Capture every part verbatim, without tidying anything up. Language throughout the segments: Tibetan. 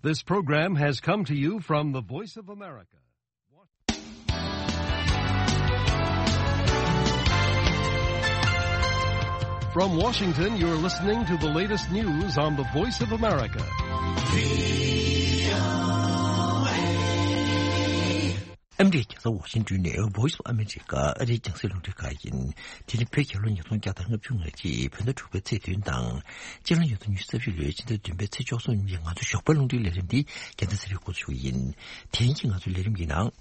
This program has come to you from the Voice of America. From Washington, you're listening to the latest news on the Voice of America. ཨ་མི་རི་ཀའི་རྒྱལ་ས་ཝ་ཤིང་ཏོན་ནས་Voice of America ཨ་རིའི་རྒྱང་སྲིང་རླུང་འཕྲིན་ཁང་ཡིན། དེ་རིང་བོད་རྒྱལ་ལོ་ཉིས་སྟོང་བརྒྱ་དང་ལྔ་བཅུ་ང་གཅིག་བོད་ཟླ་དྲུག་པའི་ཚེས་བདུན་དང་། སྤྱི་ལོ་ཉིས་སྟོང་ཉི་ཤུ་རྩ་བཞི་ལོའི་ཕྱི་ཟླ་བདུན་པའི་ཚེས་བཅུ་གསུམ་ཉིན་ང་ཚོའི་ཞོགས་པའི་རླུང་འཕྲིན་ལས་རིམ་འདི་རྒྱལ་མཚན་ཚེ་རིང་འགོ་འཛུགས་ཞུ་གི་ཡིན། དེ་རིང་གི་ང་ཚོའི་ལས་རིམ་གྱི་ནང་།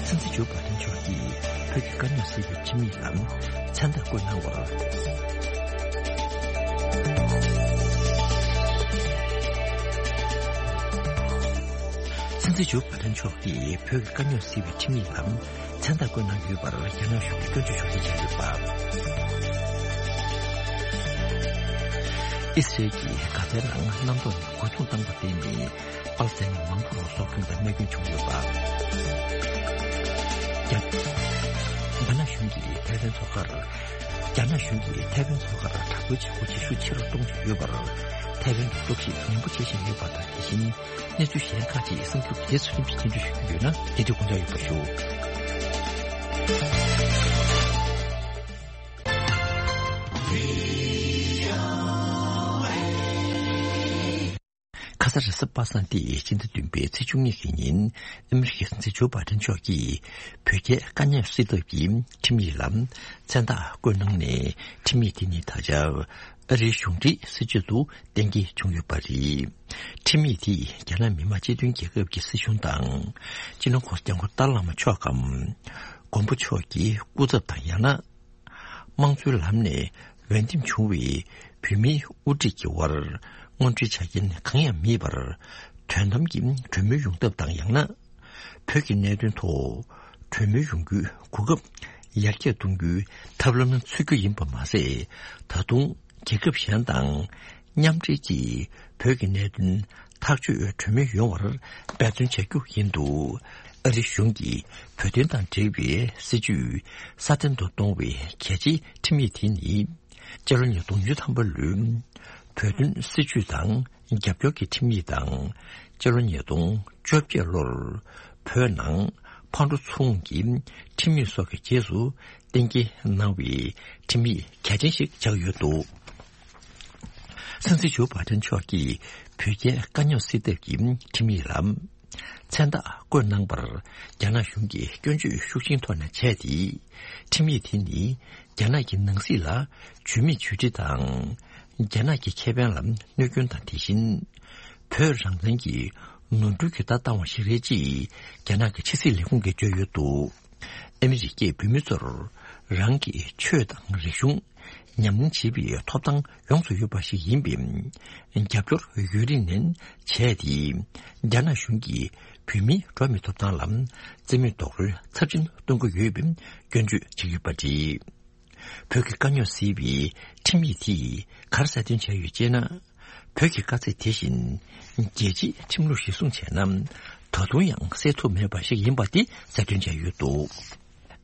སྲིད་འཛིན་ཇོ་བྷའི་ཏན་མཆོག་གིས་བོད་ཀྱི་དཀའ་རྙོག་སེལ་བའི་ཁྲིམས་ཡིག་ལ་མཚན་རྟགས་བཀོད་གནང་བར། སྲིད་འཛིན་ཇོ་བྷའི་ཏན་མཆོག་གིས་བོད་ཀྱི་དཀའ་རྙོག་སེལ་བའི་ཁྲིམས་ཡིག་ལ་མཚན་རྟགས་བཀོད་གནང་ཡོད་པར་རྒྱ་ནག་གཞུང་གིས་སྐྱོན་བརྗོད་ཤུགས་ཆེ་བྱས་ཡོད་པ། ཨི་སི་རེལ་གྱིས་གྷ་ཛའི་ནང་གནམ་ཐོག་ནས་རྒོལ་རྡུང་བཏང་བར་བརྟེན་ནས་པ་ལི་སི་ཐན་མི་མང་པོར་སྲོག་སྐྱོན་དང་རྨས་སྐྱོན་བྱུང་ཡོད་པ། རྒྱ་རྒྱ་ནག་གཞུང་གིས་ཐའེ་ཝན་མཚོ་ཁར། རྒྱ་ནག་གཞུང་གིས་ཐའེ་ཝན་མཚོ་ཁར་དྲག་པོའི་བྱེད་སྒོ་བྱེད་ཤུགས་ཆེ་རུ་གཏོང་བཞིན་ཡོད་པར། ཐའེ་ཝན་གྱི་སྟོབས་ཤུགས་ཉམས་པོ་བྱེད་བཞིན་ཡོད་པ་དང་། དེ་བཞིན་གནས་ཚུལ་གཞན་ཁག་ཅིག་གསར་འགྱུར་གྱི་རྗེས་སུ་རིམ་གྱིས་སྙན་སྒྲོན་ཞུ་རྒྱུ་ཡོད་ན། དེ་དུས་དགོངས་འཇགས་ཡོད་པ་ཞུ། ཁ་ས་རེས་གཟའ་པ་སངས་ཏེ་སྤྱི་ཟླ་བདུན་པའི་ཚེས་བཅུ་གཉིས་ཀྱི་ཉིན་ཨ་མི་རི་ཀའི་སྲིད་འཛིན་ཇོ་བྷའི་ཏན་མཆོག་གིས་བོད་རྒྱའི་དཀའ་རྙོག་སེལ་ཐབས་ཀྱི་ཁྲིམས་ཡིག་ལ་མཚན་རྟགས་བཀོད་གནང་ནས། ཁྲིམས་ཡིག་དེ་ནི་ད་ཆ་ཨ་རིའི་གཞུང་འབྲེལ་སྲིད་བྱུས་སུ་གཏན་འཁེལ་བྱུང་ཡོད་པ་རེད། ཁྲིམས་ཡིག་དེས་རྒྱ་ནག་མི་དམངས་སྤྱི་མཐུན་རྒྱལ་ཁབ་ཀྱི་སྲིད་གཞུང་དང་། སྤྱི་ནོར་༧གོང་ས་༧སྐྱབས་མགོན་ཏཱ་ལའི་བླ་མ་མཆོག་གམ། མགོན་པོ་མཆོག་གི་སྐུ་ཚབ་དང་། ཡང་ན་དམངས་གཙོའི་ལམ་ནས་འོས་འདེམས་བྱུང་བའི་བོད་མིའི་དབུ་ཁྲིད་ཀྱི་དབར་དངོས་འབྲེལ་ཆ་རྐྱེན་གང་ཡང་མེད་པར། དོན་དམ་གྱི་གྲོས་མོལ་ཡོང་ཐབས་དང་། ཡང་ན་བོད་ཀྱི་གནད་དོན་ཐོག་གྲོས་མོལ་ཡོང་རྒྱུའི་གོ་སྐབས་ཡར་རྒྱས་གཏོང་རྒྱུའི་ཐབས་ལམ་འཚོལ་རྒྱུ་ཡིན་པ་མ་ཟད། ད་དུང་རྒྱལ་ཁབ་གཞན་དང་མཉམ་འབྲེལ་གྱིས་བོད་ཀྱི་གནད་དོན་ཐག་གཅོད་གྲོས་མོལ་ཡོང་བར་འབད་བརྩོན་བྱ་རྒྱུ་ཡིན་འདུག་ཨ་རི་གཞུང་གིས་བོད་དོན་དང་འབྲེལ་བའི་སྲིད་ཇུས་སྲ་བརྟན་དུ་གཏོང་བའི་གལ་ཆེའི་ཁྲིམས་ཡིག་དེ་ནི། སྤྱི་ལོ་ཉིས་སྟོང་བཅུ་ཐམ་པ་ལོའི་བོད་དོན་སྲིད་བྱུས་དང་རྒྱབ་སྐྱོར་གྱི་ཁྲིམས་ཡིག་དང་། སྤྱི་ལོ་ཉིས་སྟོང་བཅོ་བརྒྱད་ལོར་བོད་ནང་ཕར་འགྲོ་ཚུར་འོང་གི་ཁྲིམས་ཡིག་སོགས་ཀྱི་རྗེས་སུ་གཏན་འཁེལ་གནང་བའི་ཁྲིམས་ཡིག་གལ་ཆེན་ཞིག་ཆགས་ཡོད་འདུག་སྲིད་འཛིན་ཇོ་བྷའི་ཏན་མཆོག་གིས་བོད་རྒྱའི་དཀའ་རྙོག་སེལ་ཐབས་ཀྱི་ཁྲིམས་ཡིག་ལ་མཚན་རྟགས་བཀོད་གནང་བར་རྒྱ་ནག་གཞུང་གིས་སྐྱོན་བརྗོད་ཤུགས་ཆེན་ཐོག་ནས་བྱས་ཏེ། ཁྲིམས་ཡིག་དེ་ནི་རྒྱ་ནག་གི་ནང་སྲིད་ལ་ཇུས་མེད་ཇུས་འབྲས་དང་། རྒྱ་ནག་གི་ཁེ་ཕན་ལ་གནོད་སྐྱོན་དང་། དེ་བཞིན་བོད་རང་བཙན་གྱི་ནོར་འཁྲུལ་གྱི་ལྟ་སྟངས་ཤིག་རེད་ཅེས་རྒྱ་ནག་གི་ཕྱི་སྲིད་ལས་ཁུངས་ཀྱིས་བརྗོད་ཡོད་འདུག་ཨ་མི་རི་ཀས་བོད་མི་ཚོར་རང་གི་ཆོས་དང་རིག་གཞུང་ཉམས་ལེན་བྱེད་པའི་ཐོབ་ཐང་ཡོངས་སུ་ཡོད་པ་ཞིག་ཡིན་པས། རྒྱབ་སྐྱོར་ཡུན་རིང་ནས་བྱས་ཏེ། རྒྱ་ནག་གཞུང་གིས་བོད་མིའི་འགྲོ་བ་མིའི་ཐོབ་ཐང་ལ་རྩིས་མེད་རྡོག་རོལ་ཚབས་ཆེན་གཏོང་གི་ཡོད་པའི་སྐྱོན་བརྗོད་བྱེད་ཀྱི་ཡོད་པ་རེད། བོད་ཀྱི་དཀའ་རྙོག་སེལ་བའི་ཁྲིམས་ཡིག་དེས་ག་རེ་གསལ་སྟོན་བྱས་ཡོད་ཅེ་ན། བོད་ཀྱི་དཀའ་ཚེགས་དེ་བཞིན་རྒྱལ་སྤྱིའི་ཁྲིམས་ལུགས་གཞིར་བཟུང་བྱས་ན། ད་དུང་ཡང་སེལ་ཐུབ་མེད་པ་ཞིག་ཡིན་པ་དེ་གསལ་སྟོན་བྱས་ཡོད་འདུག་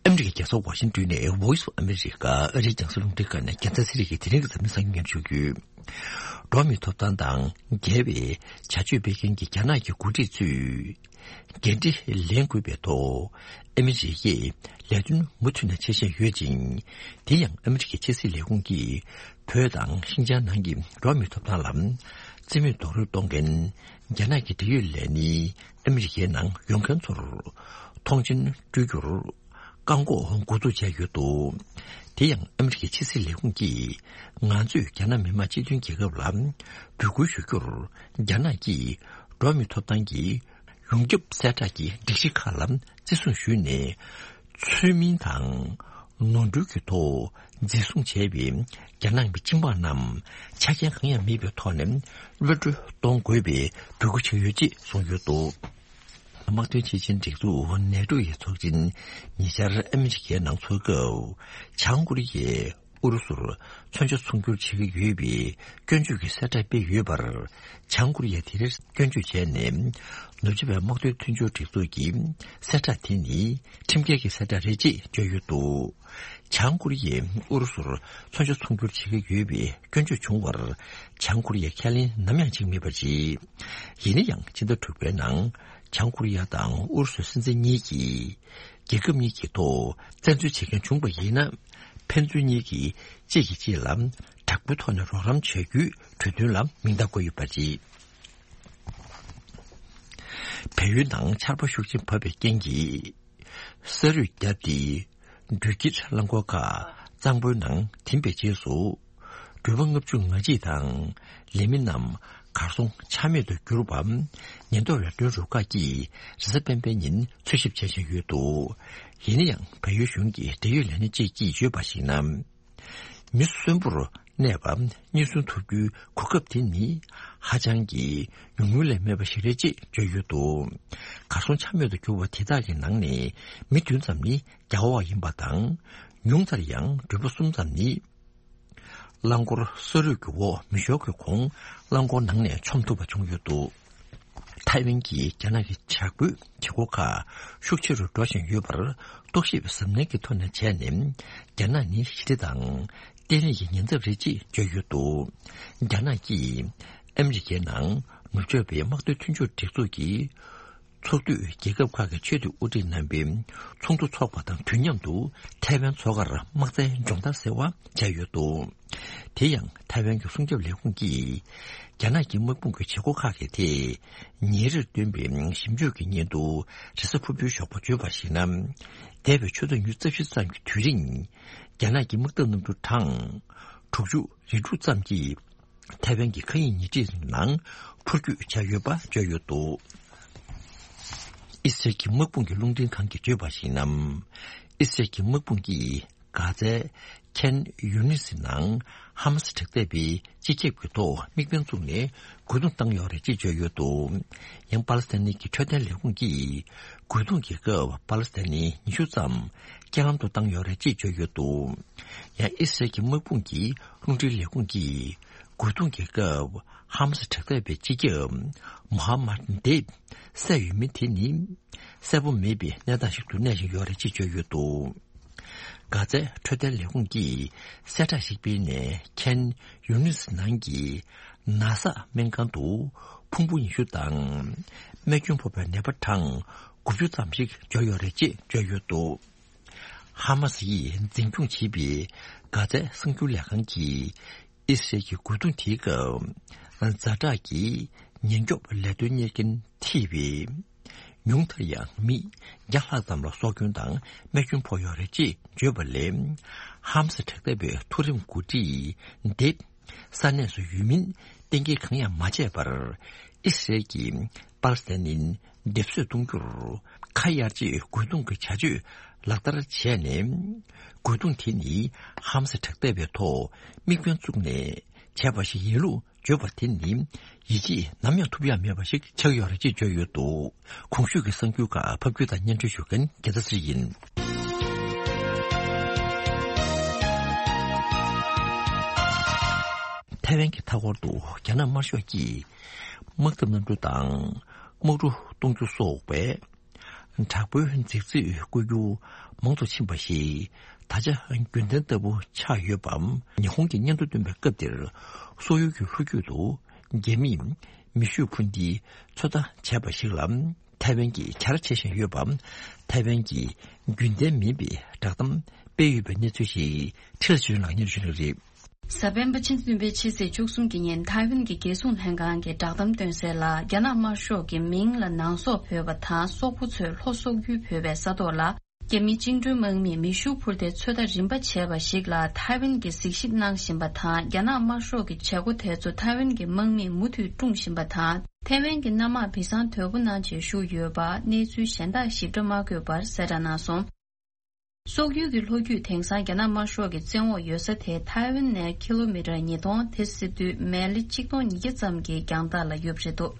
ཨ་མི་རི་ཀའི་རྒྱལ་ས་ཝ་ཤིང་ཏོན་ནས་Voice of America ཨ་རིའི་རྒྱང་སྲིང་རླུང་འཕྲིན་ཁང་ནས་རྒྱལ་མཚན་ཚེ་རིང་གིས་དེ་རིང་གི་འཛམ་གླིང་གསར་འགྱུར་སྙན་ཞུ་རྒྱུ། འགྲོ་བ་མིའི་ཐོབ་ཐང་དང་འགལ་བའི་བྱ་སྤྱོད་སྤེལ་མཁན་གྱི་རྒྱ་ནག་གི་འགོ་ཁྲིད་ཚོས། འགན་འཁྲི་ལེན་དགོས་པའི་ཐོག་ཨ་མི་རི་ཀས་ལས་དོན་མུ་མཐུད་ནས་བྱེད་བཞིན་ཡོད་ཅིང་། དེ་ཡང་ཨ་མི་རི་ཀའི་ཕྱི་སྲིད་ལས་ཁུངས་ཀྱིས་བོད་དང་ཤིན་ཅང་ནང་གི་འགྲོ་བ་མིའི་ཐོབ་ཐང་ལ་རྩིས་མེད་རྡོག་རོལ་གཏོང་མཁན་རྒྱ་ནག་གི་འབྲེལ་ཡོད་ལས་སྣེ་ཨ་མི་རི་ཀའི་ནང་ཡོང་མཁན་ཚོར་མཐོང་མཆན་སྤྲོད་རྒྱུར་བཀག་འགོག་འགོ་འཛུགས་བྱས་ཡོད་འདུག་དེ་ཡང་ཨ་མི་རི་ཀའི་ཕྱི་སྲིད་ལས་ཁུངས་ཀྱིས་ང་ཚོས་རྒྱ་ནག་མི་དམངས་སྤྱི་མཐུན་རྒྱལ་ཁབ་ལ་འབོད་སྐུལ་ཞུ་རྒྱུར་རྒྱ་ནག་གིས་འགྲོ་བ་མིའི་ཐོབ་ཐང་གི་ཡོངས་ཁྱབ་གསལ་བསྒྲགས་ཀྱི་སྒྲིག་གཞི་ཁག་ལ་བརྩི་སྲུང་ཞུས་ནས། ཚུལ་མིན་དང་ནོར་འཁྲུལ་གྱི་ཐོག་འཛིན་བཟུང་བྱས་པའི་རྒྱ་ནག་གི་སྤྱི་དམངས་རྣམས་ཆ་རྐྱེན་གང་ཡང་མེད་པའི་ཐོག་ནས་གློད་གྲོལ་གཏོང་དགོས་པའི་འབོད་སྐུལ་བྱས་ཡོད་ཅེས་གསུངས་ཡོད་འདུག་དམག་དོན་སྤྱི་ཆིངས་སྒྲིག་འཛུགས་ནེ་ཊོ་ཡི་ཚོགས་ཆེན་ཉེ་ཆར་ཨ་མི་རི་ཀའི་ནང་འཚོགས་སྐབས། བྱང་ཀོ་རི་ཡའི་ ཨུ་རུ་སུར་མཚོན་ཆ་ཚོང་སྒྱུར་བྱེད་ཀྱི་ཡོད་པའི་སྐྱོན་བརྗོད་ཀྱི་གསལ་བསྒྲགས་སྤེལ་ཡོད་པར། བྱང་ཀོ་རི་ཡས་དེ་རིང་སྐྱོན་བརྗོད་བྱས་ནས། ནུབ་ཕྱོགས་པའི་དམག་དོན་མཐུན་སྦྱོར་སྒྲིག་འཛུགས་ཀྱི་གསལ་བསྒྲགས་དེ་ནི་ཁྲིམས་འགལ་གྱི་གསལ་བསྒྲགས་རེད་ཅེས་བརྗོད་ཡོད་འདུག། བྱང་ཀོ་རི་ཡས་ཨུ་རུ་སུར་མཚོན་ཆ་ཚོང་སྒྱུར་བྱེད་ཀྱི་ཡོད་པའི་སྐྱོན་བརྗོད་བྱུང་བར། བྱང་ཀོ་རི་ཡས་ཁས་ལེན་ནམ་ཡང་བྱེད་མེད་པ་རེད། ཡིན་ན་ཡང་ཕྱི་ཟླ་དྲུག་པའི་ནང་། བྱང་ཀོ་རི་ཡ་དང་ཨུ་རུ་སུའི་སྲིད་འཛིན་གཉིས་ཀྱིས། རྒྱལ་ཁབ་གཉིས་ཀྱི་ཐོག་བཙན་འཛུལ་བྱེད་མཁན་བྱུང་བ་ཡིན་ན། ཕན་ཚུན་གཉིས་ཀྱིས་གཅིག་གིས་གཅིག་ལ་དྲག་པོའི་ཐོག་ནས་རོགས་རམ་བྱ་རྒྱུའི་གྲོས་མཐུན་ལ་མིང་རྟགས་བཀོད་ཡོད་པ་རེད། བལ་ཡུལ་ནང་ཆར་པ་ཤུགས་ཆེན་བབས་པའི་རྐྱེན་གྱིས། ས་རུད་བརྒྱབ་སྟེ། འགྲུལ་སྐྱེལ་རླངས་འཁོར་ཁག་གཙང་པོའི་ནང་ཐིམ་པའི་རྗེས་སུ། འགྲུལ་པ་ལྔ་བཅུ་ང་གཅིག་དང་། ལས་མི་རྣམས་གར་སོང་ཆ་མེད་དུ་གྱུར་བ། ཉེན་རྟོག་ལས་དོན་རུ་ཁག་གིས་རེས་གཟའ་སྤེན་པའི་ཉིན་འཚོལ་ཞིབ་བྱེད་བཞིན་ཡོད་འདུག། ཡིན་ན་ཡང་། བལ་ཡུལ་གཞུང་གི་འབྲེལ་ཡོད་ལས་སྣེ་གཅིག་གིས་བརྗོད་པར་གཞིགས་ན། མི་གསོན་པོར་གནས་པ་རྙེད་སོན་ཐུབ་རྒྱུའི་གོ་སྐབས་དེ་ནི་ཧ་ཅང་གི་ཉུང་ངུ་ལས་མེད་པ་ཞིག་རེད་ཅེས་བརྗོད་ཡོད་འདུག། གར་སོང་ཆ་མེད་དུ་གྱུར་བ་དེ་དག་གི་ནང་ནས་མི་བདུན་ཙམ་ནི་རྒྱ་འོག་ཡིན་པ་དང་། ཉུང་མཐར་ཡང་འགྲུལ་པ་གསུམ་ཙམ་ནི། རླངས་འཁོར་ས་རུད་ཀྱི་འོག་མི་ཤོར་གྱི་གོང་རླངས་འཁོར་ནང་ནས་མཆོང་ཐུབ་པ་བྱུང་ཡོད་འདུག། ཐའེ་ཝན་གྱིས་རྒྱ་ནག་གི་བྱ་རྒོད་བྱེད་སྒོ་ཁག་ཤུགས་ཆེ་རུ་འགྲོ་བཞིན་ཡོད་པར་རྟོག་ཞིབ་གཟབ་ནན་གྱི་ཐོག་ནས་བྱས་ནས། རྒྱ་ནག་ནི་ཞི་བདེ་དང་བརྟན་ལྷིང་གི་ཉེན་ཚབས་རེད་ཅེས་བརྗོད་ཡོད་འདུག། རྒྱ་ནག་གིས་ཨ་མི་རི་ཀའི་ནང་ནུབ་ཕྱོགས་པའི་དམག་དོན་མཐུན་སྦྱོར་སྒྲིག་འཛུགས་ཀྱི་ཚོགས་འཐུས་རྒྱལ་ཁབ་ཁག་གི་ཆེས་མཐོའི་དབུ་ཁྲིད་རྣམ་པའི་ཚོགས་འདུ་འཚོགས་པ་དང་དུས་མཉམ་དུ་ཐའེ་ཝན་མཚོ་ཁར་དམག་རྩལ་སྦྱོང་བརྡར་ཟེར་བ་བྱས་ཡོད་འདུག། དེ་ཡང་ཐའེ་ཝན་གྱི་སྲུང་སྐྱོབ་ལས་ཁུངས་ཀྱིས་རྒྱ་ནག་གི་དམག་དཔུང་གི་བྱེད་སྒོ་ཁག་གི་ཐད་ཉིན་རེར་བཏོན་པའི་ཞིབ་འཇུག་གི་སྙན་ཐོ་རེས་གཟའ་ཕུར་བུའི་ཞོགས་པ་བརྗོད་པར་གཞིགས་ན། འདས་པའི་ཆུ་ཚོད་ཉི་ཤུ་རྩ་བཞི་ཙམ་གྱི་དུས་རིང་རྒྱ་ནག་གི་དམག་འཐབ་གནམ་གྲུ་གྲངས་དྲུག་ཅུ་རེ་དྲུག་ཙམ་གྱིས། ཐའེ་ཝན་གྱི་མཁའ་དབྱིངས་ཉེ་འཁྲིས་ནང་འཕུར་སྐྱོད་བྱས་ཡོད་པ་བརྗོད་ཡོད་འདུག། ཨི་སི་རལ་གྱི་དམག་དཔུང་གི་རླུང་འཕྲིན་ཁང་གིས་བརྗོད་པར་གཞིགས་ན། ཨི་སི་རལ་གྱི་དམག་དཔུང་གིས་གྷ་ཛའི་ཁན་ཡུ་ནིས་ནང་ཧ་མ་སི་དྲག་འཐབ་པའི་སྤྱི་ཁྱབ་ཀྱི་ཐོག་དམིགས་འབེན་བཙུགས་ནས་རྒོལ་རྡུང་བཏང་ཡོད་རེད་ཅེས་བརྗོད་ཡོད་འདུག། ཡང་པ་ལི་སི་ཐན་གྱི་འཕྲོད་བསྟེན་ལས་ཁུངས་ཀྱིས་རྒོལ་རྡུང་གི་སྐབས་པ་ལི་སི་ཐན་ཉི་ཤུ་ཙམ་རྐྱེན་ལམ་དུ་བཏང་ཡོད་རེད་ཅེས་བརྗོད་ཡོད་འདུག། ཡང་ཨི་སི་རལ་གྱི་དམག་དཔུང་གི་རླུང་འཕྲིན་ལས་ཁུངས་ཀྱིས། རྒོལ་རྡུང་གི་སྐབས་ཧ་མ་སི་དྲག་འཐབ་པའི་སྤྱི་ཁྱབ་མོ་ཧ་མད་དེབ་བསད་ཡོད་མིན་དེ་ནི་གསལ་པོ་མེད་པའི་གནས་སྟངས་ཤིག་ཏུ་གནས་བཞིན་ཡོད་རེད་ཅེས་བརྗོད་ཡོད་འདུག། གྷ་ཛའི་འཕྲོད་བསྟེན་ལས་ཁུངས་ཀྱིས་གསལ་བསྒྲགས་ཤིག་སྤེལ་ནས་ཁན་ཡུ་ནིས་ནང་གི་ན་སག་སྨན་ཁང་དུ་ཕུང་པོ་ཉི་ཤུ་དང་རྨས་སྐྱོན་ཕོག་པའི་ནད་པ་གྲངས་དགུ་བཅུ་ཙམ་ཞིག་འབྱོར་ཡོད་རེད་ཅེས་བརྗོད་ཡོད་འདུག། ཧ་མ་སི་ཡིས་འཛིན་སྐྱོང་བྱེད་པའི་གྷ་ཛའི་གསར་འགྱུར་ལས་ཁང་གིས། ཨི་སི་རལ་གྱི་རྒོལ་རྡུང་དེའི་སྐབས། ཛ་དྲག་གི་ཉེན་སྐྱོབ་ལས་དོན་གཉེར་མཁན་ཐེ་བའི་ཉུང་མཐར་ཡང་མི་བརྒྱ་ལྷག་ཙམ་ལ་སྲོག་སྐྱོན་དང་རྨས་སྐྱོན་ཕོག་ཡོད་རེད་ཅེས་བརྗོད་པ་ལས། ཧམ་སི་དྲག་འཐབ་པའི་མཐོ་རིམ་འགོ་ཁྲིད་དེ་ས་གནས་སུ་ཡོད་མིན་གཏན་འཁེལ་གང་ཡང་མ་བྱས་པར། ཨི་སི་རལ་གྱིས་པ་ལི་སི་ཐན་ནི་སྡེབ་གསོད་གཏོང་རྒྱུར་ཁ་གཡར་རྗེས་རྒོལ་རྡུང་གི་བྱ་སྤྱོད་ལག་བསྟར་བྱས་ནས། རྒོལ་རྡུང་དེ་ནི་ཧམ་སི་དྲག་འཐབ་པའི་ཐོག་དམིགས་འབེན་བཙུགས་ནས་བྱས་པ་ཞིག་ཡིན་ལུགས་བརྗོད་པ་དེ་ནི་ཡིད་ཆེས་ནམ་ཡང་ཐུབ་ཡག་མེད་པ་ཞིག་ཆགས་ཡོད་རེད་ཅེས་བརྗོད་ཡོད་འདུག། གོང་ཞུས་ཀྱི་གསར་འགྱུར་ཁག་ཕབ་སྒྱུར་དང་སྙན་སྒྲོན་ཞུ་མཁན་རྒྱལ་མཚན་ཚེ་རིང་ཡིན། ཐའེ་ཝན་གྱི་མཐའ་འཁོར་དུ་རྒྱ་ནག་དམར་ཤོག་གིས་དམག་འཐབ་གནམ་གྲུ་དང་དམག་གྲུ་གཏོང་རྒྱུ་སོགས་པའི་དྲག་པོའི་མཛེས་རྩིས་བཀོལ་རྒྱུ་མང་དུ་ཕྱིན་པ་ཞིག་ད་ཆ་རྒྱུན་ལྡན་ལྟ་བུ་ཆགས་ཡོད་པ། ཉི་ཧོང་གིས་སྙན་ཐོ་བཏོན་པའི་སྐབས་དེར། སོག་ཡུལ་གྱི་ལྷོ་རྒྱུད་དུ་རྒྱ་མིས་མེ་ཤུགས་འཕུར་མདེལ་ཚོད་ལྟ་བྱས་པ་ཞིག་ལ། ཐའེ་ཝན་གྱིས་བྱ་ར་བྱེད་བཞིན་ཡོད་པ། ཐའེ་ཝན་གྱིས་རྒྱུན་ལྡན་མིན་པའི་བསྒྲགས་གཏམ་སྤེལ་ཡོད་པའི་གནས་ཚུལ་ཞིག་ཁྲི་ལ་ཆོས་ལགས་སྙན་ཞུ་གནང་གི་རེད། གཟའ་སྤེན་པ་ཕྱི་ཚེས་བདུན་པའི་ཕྱི་ཚེས་བཅུ་གསུམ་གྱི་ཉིན་ཐའེ་ཝན་གྱི་རྒྱལ་སྲུང་ལྷན་ཁང་གིས་བསྒྲགས་གཏམ་བཏོན་གསལ་ལ། རྒྱ་ནག་དམར་ཤོག་གི་མིང་ལ་ནང་སོག་བོད་པ་དང་སོག་པོ་ཚོས་ལྷོ་སོག་ཡུལ་བོད་པའི་ས་ཐོག་ལ་རྒྱ་མིའི་བཅིངས་འགྲོལ་དམག་མིས་མེ་ཤུགས་འཕུར་མདེལ་ཚོད་ལྟ་རིམ་པ་བྱས་པ་ཞིག་ལ། ཐའེ་ཝན་གྱིས་གཟིགས་ཞིབ་གནང་བཞིན་པ་དང་། རྒྱ་ནག་དམར་ཤོག་གི་བྱེད་སྒོ་དེ་ཚོ་ཐའེ་ཝན་གྱི་དམག་མིས་མུ་མཐུད་སྲུང་བཞིན་པ་དང་། ཐའེ་ཝན་གྱི་གནམ་དམག་བི་སང་དོད་པོ་གནང་བྱས་བཞུགས་ཡོད་པ། གནས་ཚུལ་གཞན་དག་ཞིབ་ཕྲ་མ་བཀོད་པར་གསལ་བསྒྲགས་གནང་སོང་། སོག་ཡུལ་གྱི་ལྷོ་རྒྱུད་དེང་སང་རྒྱ་ནག་དམར་ཤོག་གི་བཙན་འོག་ཡོད་ས་དེ་ཐའེ་ཝན་ནས་ཀི་ལོ་མི་ཊར་ཉིས་སྟོང་། དེ་ཟེར་དུས་མེ་ལེ་ཆིག་སྟོང་ཉིས་བརྒྱ་ཙམ་གྱི་རྒྱང་ཐག་ལ་ཡོད་པ་རེད་འདུག།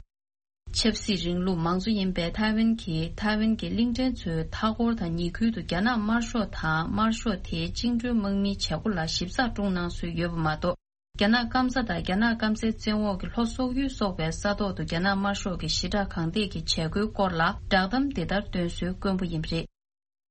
ཆབ་སྲིད་རིང་ལུགས་མང་གཙོ་ཡིན་པའི་ཐའེ་ཝན་གྱིས་ཐའེ་ཝན་གྱི་གླིང་ཕྲན་ཚོའི་མཐའ་འཁོར་དང་ཉེ་ཁུལ་དུ་རྒྱ་ནག་དམར་ཤོག་དང་དམར་ཤོག་དེའི་བཅིངས་འགྲོལ་དམག་མིའི་བྱེད་སྒོ་ལ་ཞིབ་ཚགས་སྲུང་གནང་སྲོལ་ཡོད་པ་མ་གཏོགས། རྒྱ་ནག་སྐམ་ས་དང་རྒྱ་ནག་སྐམ་སའི་བཙན་འོག་གི་ལྷོ་སོག་ཡུལ་སོགས་པའི་ས་ཐོག་ཏུ་རྒྱ་ནག་དམར་ཤོག་གི་ཞི་དྲག་གང་ཐད་ཀྱི་བྱེད་སྒོའི་སྐོར་ལ་བསྒྲགས་གཏམ་འདི་ལྟར་བཏོན་སྲོལ་དཀོན་པོ་ཡིན་པ་རེད།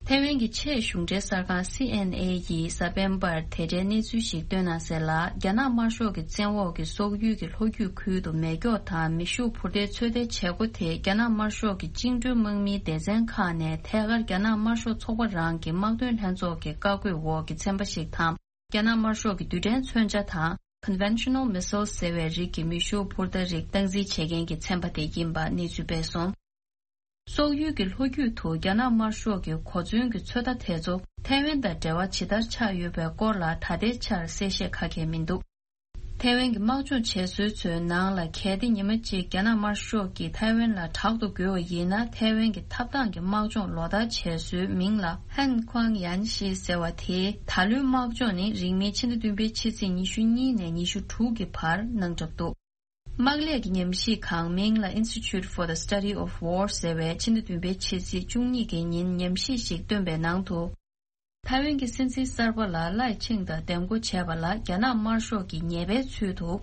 ཐའེ་ཝན་གྱི་ཆེས་གཞུང་འབྲེལ་གསར་ཁང་སི་ཨེན་ཨེ་ཡིས་གཟའ་སྤེན་པར་དེ་འབྲེལ་གནས་ཚུལ་ཞིག་བཏོན་གནང་གསལ་ལ། རྒྱ་ནག་དམར་ཤོག་གི་བཙན་འོག་གི་སོག་ཡུལ་གྱི་ལྷོ་རྒྱུད་ཁུལ་དུ་མེ་སྒྱོགས་དང་མེ་ཤུགས་འཕུར་མདེལ་ཚོད་ལྟའི་བྱེད་སྒོ་དེ་རྒྱ་ནག་དམར་ཤོག་གི་བཅིངས་འགྲོལ་དམག་མིའི་སྡེ་ཚན་ཁག་ནས་ཐད་ཀར་རྒྱ་ནག་དམར་ཤོག་ཚོགས་པ་རང་གི་དམག་དོན་ལྷན་ཚོགས་ཀྱི་བཀའ་བཀོད་འོག་གི་ཚན་པ་ཞིག་དང་། རྒྱ་ནག་དམར་ཤོག་གི་རྡུལ་ཕྲན་མཚོན་ཆ་དང་། Conventional Missiles ཟེར་བའི་རིགས་ཀྱི་མེ་ཤུགས་འཕུར་མདའ་རིགས་སྟངས་འཛིན་བྱེད་མཁན་གྱི་ཚན་པ་དེ་ཡིན་པ་གནས་ཚུལ་སྤེལ་སོང་། སོག་ཡུལ་གྱི་ལྷོ་རྒྱུད་དུ་རྒྱ་ནག་དམར་ཤོག་གི་གོ་མཚོན་གྱི་ཚོད་ལྟ་དེ་ཚོ་ཐའེ་ཝན་དང་འབྲེལ་བ་ཇི་ལྟར་ཆགས་ཡོད་པའི་སྐོར་ལ་ད་ལྟའི་ཆར་གསལ་བཤད་ག་གེ་མི་འདུག་ཐའེ་ཝན་གྱི་དམག་སྦྱོང་བྱེད་སྲོལ་ཚོའི་ནང་ལ། གལ་ཏེ་ཉི་མ་གཅིག་རྒྱ་ནག་དམར་ཤོག་གིས་ཐའེ་ཝན་ལ་དྲག་ཏུ་རྒོལ་བ་ཡིན་ན། ཐའེ་ཝན་གྱི་ཐབ་ཐང་གི་དམག་སྦྱོང་ལོ་ལྟར་བྱེད་སྲོལ་མིང་ལ་ཧན་ཁུའང་ཡན་ཤི་ཟེར་བ་དེ། ད་ལོའི་དམག་སྦྱོང་ནི་རིང་མིན་ཕྱི་ཟླ་བདུན་པའི་ཕྱི་ཚེས་ཉི་ཤུ་གཉིས་ནས་ཉི་ཤུ་དྲུག་གི་བར་གནང་གྲབས་འདུག་དམག་ལས་ཀྱི་ཉམས་ཞིབ་ཁང་མིང་ལ་Institute for the Study of War ཟེར་བས་ཕྱི་ཟླ་བདུན་པའི་ཕྱི་ཚེས་བཅུ་གཉིས་ཀྱི་ཉིན་ཉམས་ཞིབ་ཞིག་བཏོན་པའི་ནང་དུ། ཐའེ་ཝན་གྱི་སྲིད་འཛིན་གསར་པ་ལ་བླའི་ཆིང་དང་འདེམས་བསྐོ་བྱས་པ་ལ་རྒྱ་ནག་དམར་ཤོག་གིས་ཉེས་པའི་ཚུལ་དུ།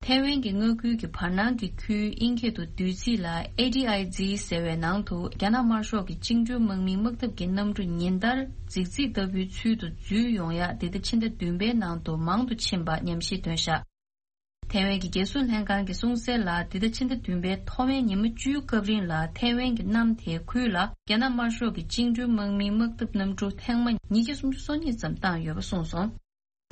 ཐའེ་ཝན་གྱི་མངའ་ཁུལ་གྱི་བར་སྣང་གི་ཁུལ་ཨིན་སྐད་དུ་བདུད་རྩི་ལ་ཨེ་ཌི་ཨའི་ཛི་ཟེར་བའི་ནང་དུ་རྒྱ་ནག་དམར་ཤོག་གི་བཅིངས་འགྲོལ་དམག་མིའི་དམག་འཐབ་ཀྱི་གནམ་གྲུ་ཉིན་ལྟར་རྫིག་རྫིག་ལྟ་བུའི་ཚུལ་དུ་འཛུལ་ཡོང་ཡ། འདི་ཟླ་ཕྱི་ཟླ་བདུན་པའི་ནང་དུ་མང་དུ་ཕྱིན་པ་ཉམས་ཞིབ་བཏོན་བཞག་ཐའེ་ཝན་གྱི་རྒྱལ་སྲུང་ལྷན་ཁང་གིས་གསུངས་གསལ་ལ། འདི་ཟླ་ཕྱི་ཟླ་བདུན་པའི་ཐོག་མའི་ཉི་མ་བཅུའི་སྐབས་རིང་ལ་ཐའེ་ཝན་གྱི་གནམ་དེའི་ཁུལ་ལ་རྒྱ་ནག་དམར་ཤོག་གི་བཅིངས་འགྲོལ་དམག་མིའི་དམག་འཐབ་གནམ་གྲུ་ཐེངས་མ་ཉིས་བརྒྱ་སུམ་ཅུ་སོ་གཉིས་ཙམ་བཏང་ཡོད་པ་གསུངས་སོང་།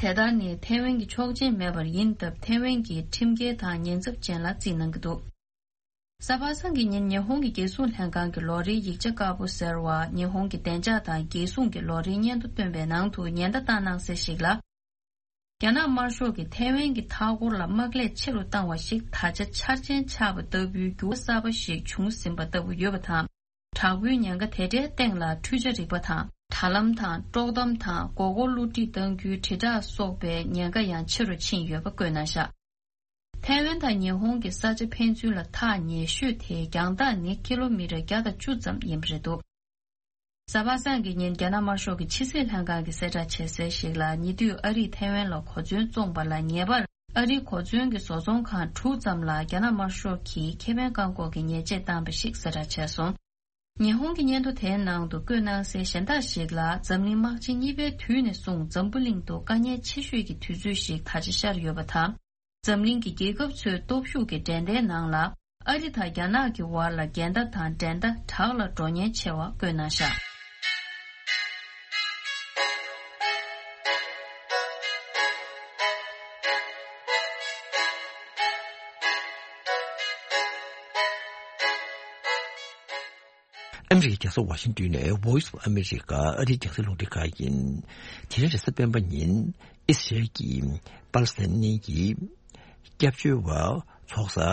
དེ་ལྟར་ནི་ཐའེ་ཝན་གྱི་ཆོག་མཆན་མེད་པར་ཡིན་སྟབས། ཐའེ་ཝན་གྱིས་ཁྲིམས་འགལ་དང་ཉེན་ཚབས་ཅན་ལ་བརྩིས་གནང་གི་འདུག་གཟའ་པ་སངས་ཀྱི་ཉིན་ཉི་ཧོང་གི་རྒྱལ་སྲུང་ལྷན་ཁང་གི་ལོ་རེའི་ཡིག་ཆ་དཀར་པོ་ཟེར་བ། ཉི་ཧོང་གི་བདེ་འཇགས་དང་རྒྱལ་སྲུང་གི་ལོ་རེའི་སྙན་ཐོ་བཏོན་པའི་ནང་དུ་ཉེན་བརྡ་བཏང་གནང་གསལ་ཞིག་ལ། རྒྱ་ནག་དམར་ཤོག་གིས་ཐའེ་ཝན་གྱི་མཐའ་འཁོར་ལ་དམག་ལས་ཆེ་རུ་བཏང་བ་ཞིག་ད་ཆ་འཆར་ཅན་ཆགས་པ་ལྟ་བུའི་འགྱུར་བ་གསར་པ་ཞིག་བྱུང་ཟིན་པ་ལྟ་བུ་ཡོད་པ་དང་། དྲག་པོའི་ཉེན་ཁ་དེ་འདྲའི་སྟེང་ལ་འཕྲུལ་ཆས་རིག་པ་དང་། དྲ་ལམ་དང་། དཀྲོག་གཏམ་དང་། མགོ་སྐོར་བསླུ་བྲིད་གཏང་རྒྱུའི་དྲིལ་བསྒྲགས་སོགས་པའི་ཉེན་ཁ་ཡང་ཆེ་རུ་ཕྱིན་ཡོད་པ་བཀོད་གནང་བཞག་ཐའེ་ཝན་དང་ཉི་ཧོང་གི་ས་ཆ་ཕན་ཚུན་ལ་ཐག་ཉེ་ཤོས་དེའི་རྒྱང་ཐག་ནི་ཀི་ལོ་མི་ཊར་བརྒྱ་དང་བཅུ་ཙམ་ཡིན་པ་རེད་འདུག་གཟའ་པ་སངས་ཀྱི་ཉིན་རྒྱ་ནག་དམར་ཤོག་གི་ཕྱི་སྲིད་ལྷན་ཁང་གིས་གསལ་བསྒྲགས་བྱས་གསལ་ཞིག་ལ། ཉེ་དུས་ཨ་རིས་ཐའེ་ཝན་ལ་གོ་མཚོན་བཙོངས་པ་ལ་ཉེ་བར་ཨ་རིའི་གོ་མཚོན་གྱི་བཟོ་ཚོང་ཁང་དྲུག་ཙམ་ལ་རྒྱ་ནག་དམར་ཤོག་གིས་ཁེ་ཕན་བཀག་འགོག་གི་ཉེས་ཆད་བཏང་པ་ཞིག་གསལ་བསྒྲགས་བྱས་སོང་། ཉི་ཧོང་གི་སྙན་ཐོ་དེའི་ནང་དུ་བཀོད་གནང་གསལ་གཞན་དག་ཞིག་ལ། འཛམ་གླིང་དམག་ཆེན་གཉིས་པའི་དུས་ནས་བཟུང་འཛམ་བུ་གླིང་དུ་དཀའ་ངལ་ཆེ་ཤོས་ཀྱི་དུས་ཚོད་ཞིག་ད་ཆ་ཤར་ཡོད་པ་དང་། འཛམ་གླིང་གི་རྒྱལ་ཁབ་ཚོའི་སྟོབས་ཤུགས་ཀྱི་འགྲན་ཟླའི་ནང་ལ། ཨ་རི་དང་རྒྱ་ནག་གི་བར་ལ་འགལ་ཟླ་དང་འགྲན་ཟླ་དྲག་ལ་འགྲོ་ཉེན་ཆེ་བ་བཀོད་གནང་བཞག་ཨ་མི་རི་ཀའི་རྒྱལ་ས་ཝ་ཤིང་ཏོན་ནས་Voice of America ཨ་རིའི་རྒྱང་སྲིང་རླུང་འཕྲིན་ཁང་ཡིན། དེ་རིང་རེས་གཟའ་སྤེན་པ་ཉིན་ཨི་སི་རེལ་གྱིས་པ་ལི་སི་ཐན་གྱི་སྐྱབས་བཅོལ་བ་ཚོགས་ས་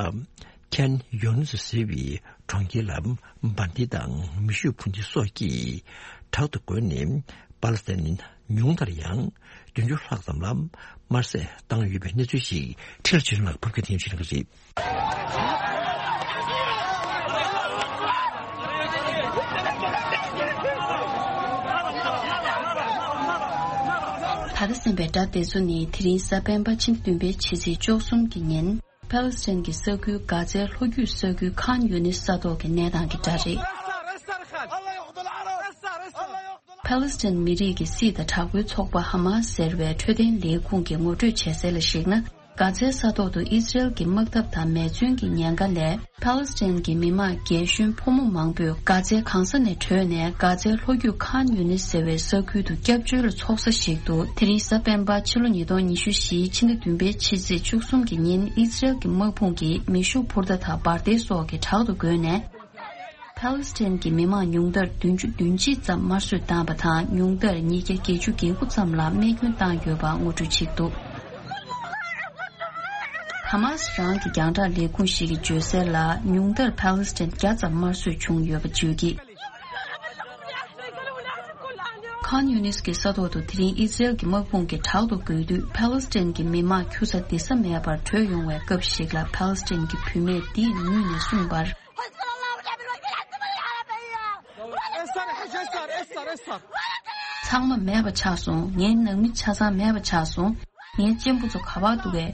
ཁན་ཡོན་སི་ཟེར་བའི་གྲོང་ཁྱེར་ལ་འབར་མདེལ་དང་མེ་ཤུགས་འཕུར་མདེལ་སོགས་ཀྱིས་དྲག་ཏུ་རྒོལ་ནས། པ་ལི་སི་ཐན་ཉུང་མཐར་ཡང་བདུན་ཅུ་ལྷག་ཙམ་ལ་དམར་བསད་བཏང་ཡོད་པའི་གནས་ཚུལ་ཞིག་ཁྲི་ལ་ཆོས་ལགས་ཕབ་སྒྱུར་ཐེངས་ཤིག་གནང་གི་རེད། ད་ལྟ་གསན་པའི་སྒྲ་དེ་ཚོ་ནི་དེ་རིང་གཟའ་སྤེན་པ་ཕྱི་ཟླ་བདུན་པའི་ཕྱི་ཚེས་བཅུ་གསུམ་གྱི་ཉིན། ཕཱ་ལེ་སི་ཐན་གྱི་ས་ཁུལ་གྷ་ཛའི་ལྷོ་རྒྱུད་ས་ཁུལ་ཁཱན་ཡུ་ནིས་ས་ཐོག་གི་གནས་སྟངས་ཀྱི་སྒྲ་རེད། ཕཱ་ལེ་སི་ཐན་མི་རིགས་ཀྱི་སྲིད་དང་དྲག་པོའི་ཚོགས་པ་ཧ་མ་སི་ཟེར་བའི་འཕྲོད་བསྟེན་ལས་ཁུངས་ཀྱིས་ངོ་སྤྲོད་བྱས་གསལ་ལ་གཞིགས་ན། གྷ་ཛའི་ས་ཐོག་ཏུ་ཨི་སི་རེལ་གྱི་དམག་འཐབ་དང་མེ་མཚོན་གྱི་ཉེན་ཁ་ལས། ཕཱ་ལེ་སི་ཐན་གྱི་མི་མང་རྒན་གཞོན་ཕོ་མོ་མང་པོས་གྷ་ཛའི་གང་ས་ནས་བྲོས་ནས་གྷ་ཛའི་ལྷོ་རྒྱུད་ཁཱན་ཡུ་ནིས་ཟེར་བའི་ས་ཁུལ་དུ་སྐྱབས་བཅོལ་ལ་འཚོགས་ས་ཞིག་ཏུ། དེ་རིང་གཟའ་སྤེན་པ་ཕྱི་ལོ་ཉིས་སྟོང་ཉི་ཤུ་བཞིའི་ཕྱི་ཟླ་བདུན་པའི་ཕྱི་ཚེས་བཅུ་གསུམ་གྱི་ཉིན་ཨི་སི་རེལ་གྱི་དམག་དཔུང་གིས་མེ་ཤུགས་འཕུར་མདའ་དང་འབར་མདེལ་སོགས་ཀྱིས་དྲག་ཏུ་རྒོལ་ནས། ཕཱ་ལེ་སི་ཐན་གྱི་མི་མང་ཉུང་མཐར་བདུན་ཅུ་དོན་གཅིག་ཙམ་དམར་གསོད་བཏང་བ་དང་། ཉུང་མཐར་ཉིས་བརྒྱ་བརྒྱད་ཅུ་གྱ་དགུ་ཙམ་ལ་རྨས་སྐྱོན་བཏང་ཡོད་པ་ངོ་སྤྲོད་བྱེད་ཀྱི་འདུག་ཧ་མ་སི་རང་གི་རྒྱང་བསྒྲགས་ལས་ཁུངས་ཤིག་གིས་བརྗོད་གསལ་ལ། ཉུང་མཐར་ཕཱ་ལེ་སི་ཐན་བརྒྱ་ཙམ་དམར་གསོད་བྱུང་ཡོད་པ་བརྗོད་ཀྱིས། ཁཱན་ཡུ་ནིས་ཀྱི་ས་ཐོག་ཏུ་དེ་རིང་ཨི་སི་རེལ་གྱི་དམག་དཔུང་གིས་དྲག་ཏུ་རྒོལ་དུས། ཕཱ་ལེ་སི་ཐན་གྱི་མི་མང་འཁྱུ་ས་འདི་ས་མེད་པར་བྲོས་ཡོང་བའི་སྐབས་ཤིག་ལ། ཕཱ་ལེ་སི་ཐན་གྱི་བུད་མེད་འདིས་ངུས་ནས་གསུངས་པར། ཚང་མ་མེད་པ་ཆགས་སོང་། ངའི་ནང་མི་ཆ་ཚང་མེད་པ་ཆགས་སོང་། ངའི་གཅེན་པོ་ཚོ་ག་པར་འདུག་གས།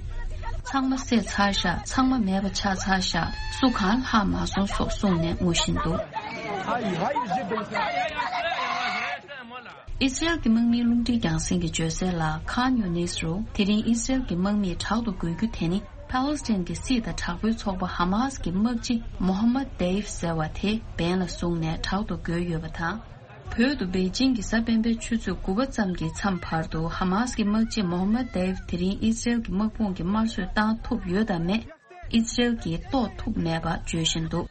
ཚང་མ་བསད་ཚར་ཤག་ཚང་མ་མེད་པ་ཆགས་ཚར་ཤག་སུ་གང་ལྷག་མ་སོང་སོགས་གསུངས་ནས་ངུ་བཞིན་འདུག་ཨི་སི་རེལ་གྱི་དམག་མིའི་རླུང་འཕྲིན་རྒྱང་སྲིང་གིས་བརྗོད་གསལ་ལ། ཁཱན་ཡུ་ནིས་རུ་དེ་རིང་ཨི་སི་རེལ་གྱི་དམག་མིས་དྲག་ཏུ་རྒོལ་རྒྱུ་དེ་ནི་ཕཱ་ལེ་སི་ཐན་གྱི་སྲིད་དང་དྲག་པོའི་ཚོགས་པ་ཧ་མཱ་སི་གི་དམག་སྤྱི་མོ་ཧ་མད་དེ་ཡིབ་ཟེར་བ་དེ་འབེན་ལ་བཟུང་ནས་དྲག་ཏུ་རྒོལ་ཡོད་པ་དང་། བོད་དུ་པེ་ཅིང་གི་གཟའ་སྤེན་པའི་ཆུ་ཚོད་དགུ་པ་ཙམ་གྱི་མཚམས་བར་དུ་ཧ་མཱ་སི་གི་དམག་སྤྱི་མོ་ཧ་མད་དེ་ཡིབ་དེ་རིང་ཨི་སི་རེལ་གྱི་དམག་དཔུང་གིས་དམར་གསོད་བཏང་ཐུབ་ཡོད་དམ་མེད། ཨི་སི་རེལ་གྱིས་རྟོགས་ཐུབ་མེད་པ་བརྗོད་བཞིན་འདུག་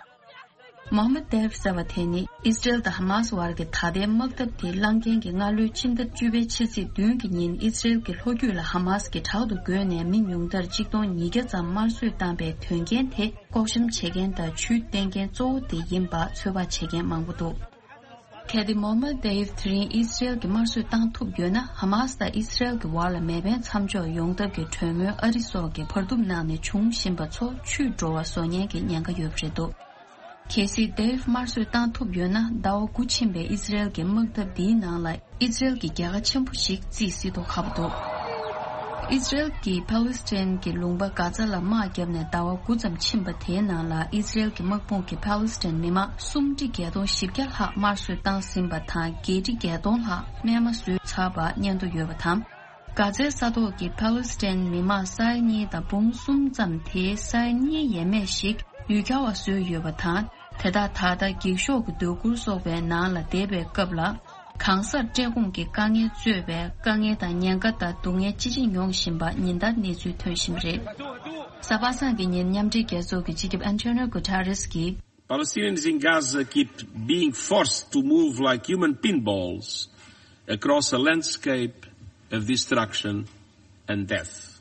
མོ་ཧ་མད་དེ་ཡིབ་ཟེར་བ་དེ་ནི་ཨི་སི་རེལ་དང་ཧ་མཱ་སི་བར་གྱི་ད་ལྟའི་དམག་འཐབ་དེ་བསླང་མཁན་གྱི་སྔ་ལོའི་ཕྱི་ཟླ་བཅུ་པའི་ཕྱི་ཚེས་བདུན་གྱི་ཉིན་ཨི་སི་རེལ་གྱི་ལྷོ་རྒྱུད་ལ་ཧ་མཱ་སི་གིས་དྲག་ཏུ་རྒོལ་ནས་མི་ཉུང་མཐར་གཅིག་སྟོང་ཉིས་བརྒྱ་ཙམ་དམར་གསོད་བཏང་པའི་དོན་རྐྱེན་དེ་ལྐོག་བཤམས་བྱེད་མཁན་དང་ཇུས་བསྟན་མཁན་གཙོ་བོ་དེ་ཡིན་པ་ཚོད་དཔག་བྱེད་མཁན་མང་པོ་འདུག་གལ་ཏེ་མོ་ཧ་མད་དེ་ཡིབ་དེ་རིང་ཨི་སི་རེལ་གྱིས་དམར་གསོད་བཏང་ཐུབ་ཡོད་ན། ཧ་མཱ་སི་དང་ཨི་སི་རེལ་གྱི་བར་ལ་མེ་འཕེན་མཚམས་འཇོག་ཡོང་ཐབས་ཀྱི་གྲོས་མོལ་ཨ་རི་སོགས་ཀྱིས་བར་འདུམ་གནང་ནས་བྱུང་བཞིན་པ་ཚོ་འཆུས་འགྲོ་བ་བཟོ་ཉེན་གྱི་ཉེན་ཁ་ཡོད་པ་རེད་འདུག་གལ་སྲིད་དེ་ཡིབ་དམར་གསོད་བཏང་ཐུབ་ཡོད་ན། ཟླ་བ་དགུ་ཕྱིན་པའི་ཨི་སི་རེལ་གྱི་དམག་འཐབ་འདིའི་ནང་ལ་ཨི་སི་རེལ་གྱི་རྒྱལ་ཁ་ཆེན་པོ་ཞིག་རྩིས་སྲིད་མདོག་ཁ་པོ་འདུག་ཨི་སི་རེལ་གྱིས་ཕཱ་ལེ་སི་ཐན་གྱི་ལུང་པ་གྷ་ཛ་ལ་དམག་བརྒྱབ་ནས་ཟླ་བ་དགུ་ཙམ་ཕྱིན་པ་དེའི་ནང་ལ། ཨི་སི་རེལ་གྱི་དམག་དཔུང་གིས་ཕཱ་ལེ་སི་ཐན་མི་མང་སུམ་ཁྲི་བརྒྱད་སྟོང་བཞི་བརྒྱ་ལྷག་དམར་གསོད་བཏང་ཟིན་པ་དང་། བརྒྱད་ཁྲི་བརྒྱད་སྟོང་ལྷག་རྨས་མ་བཟོས་ཚར་བ་སྙན་ཐོ་ཡོད་པ་དང་། གྷ་ཛའི་ས་ཐོག་གི་ཕཱ་ལེ་སི་ཐན་མི་མང་ས་ཡ་གཉིས་དང་འབུམ་གསུམ་ཙམ་དེའི་ས་ཡ་གཉིས་ཡས་མས་ཤིག་ཡུལ་གྱར་བ་བཟོས་ཡོད་པ་དང་། དེ་དག་ད་ལྟ་འགྱིག་ཤོག་གི་སྡོད་གུར་སོགས་པའི་ནང་ལ་བསྡད་པའི་སྐབས་ལ། གང་སར་བཀྲེས་སྐོམ་གྱི་དཀའ་ངལ་གཙོས་པའི་དཀའ་ངལ་དང་ཉེན་ཁ་དང་སྡུག་བསྔལ་ཅི་ཆེ་མྱོང་བཞིན་པ་ཉིན་ལྟར་གནས་ཚུལ་ཐོན་བཞིན་པ་རེད། གཟའ་པ་སངས་ཀྱི་ཉིན་མཉམ་འབྲེལ་རྒྱལ་ཚོགས་ཀྱི་སྤྱི་ཁྱབ་ཨན་ཐོ་ནིའོ་གུ་ཐ་རེས་ཀྱིས། Palestinians in Gaza keep being forced to move like human pinballs across a landscape of destruction and death.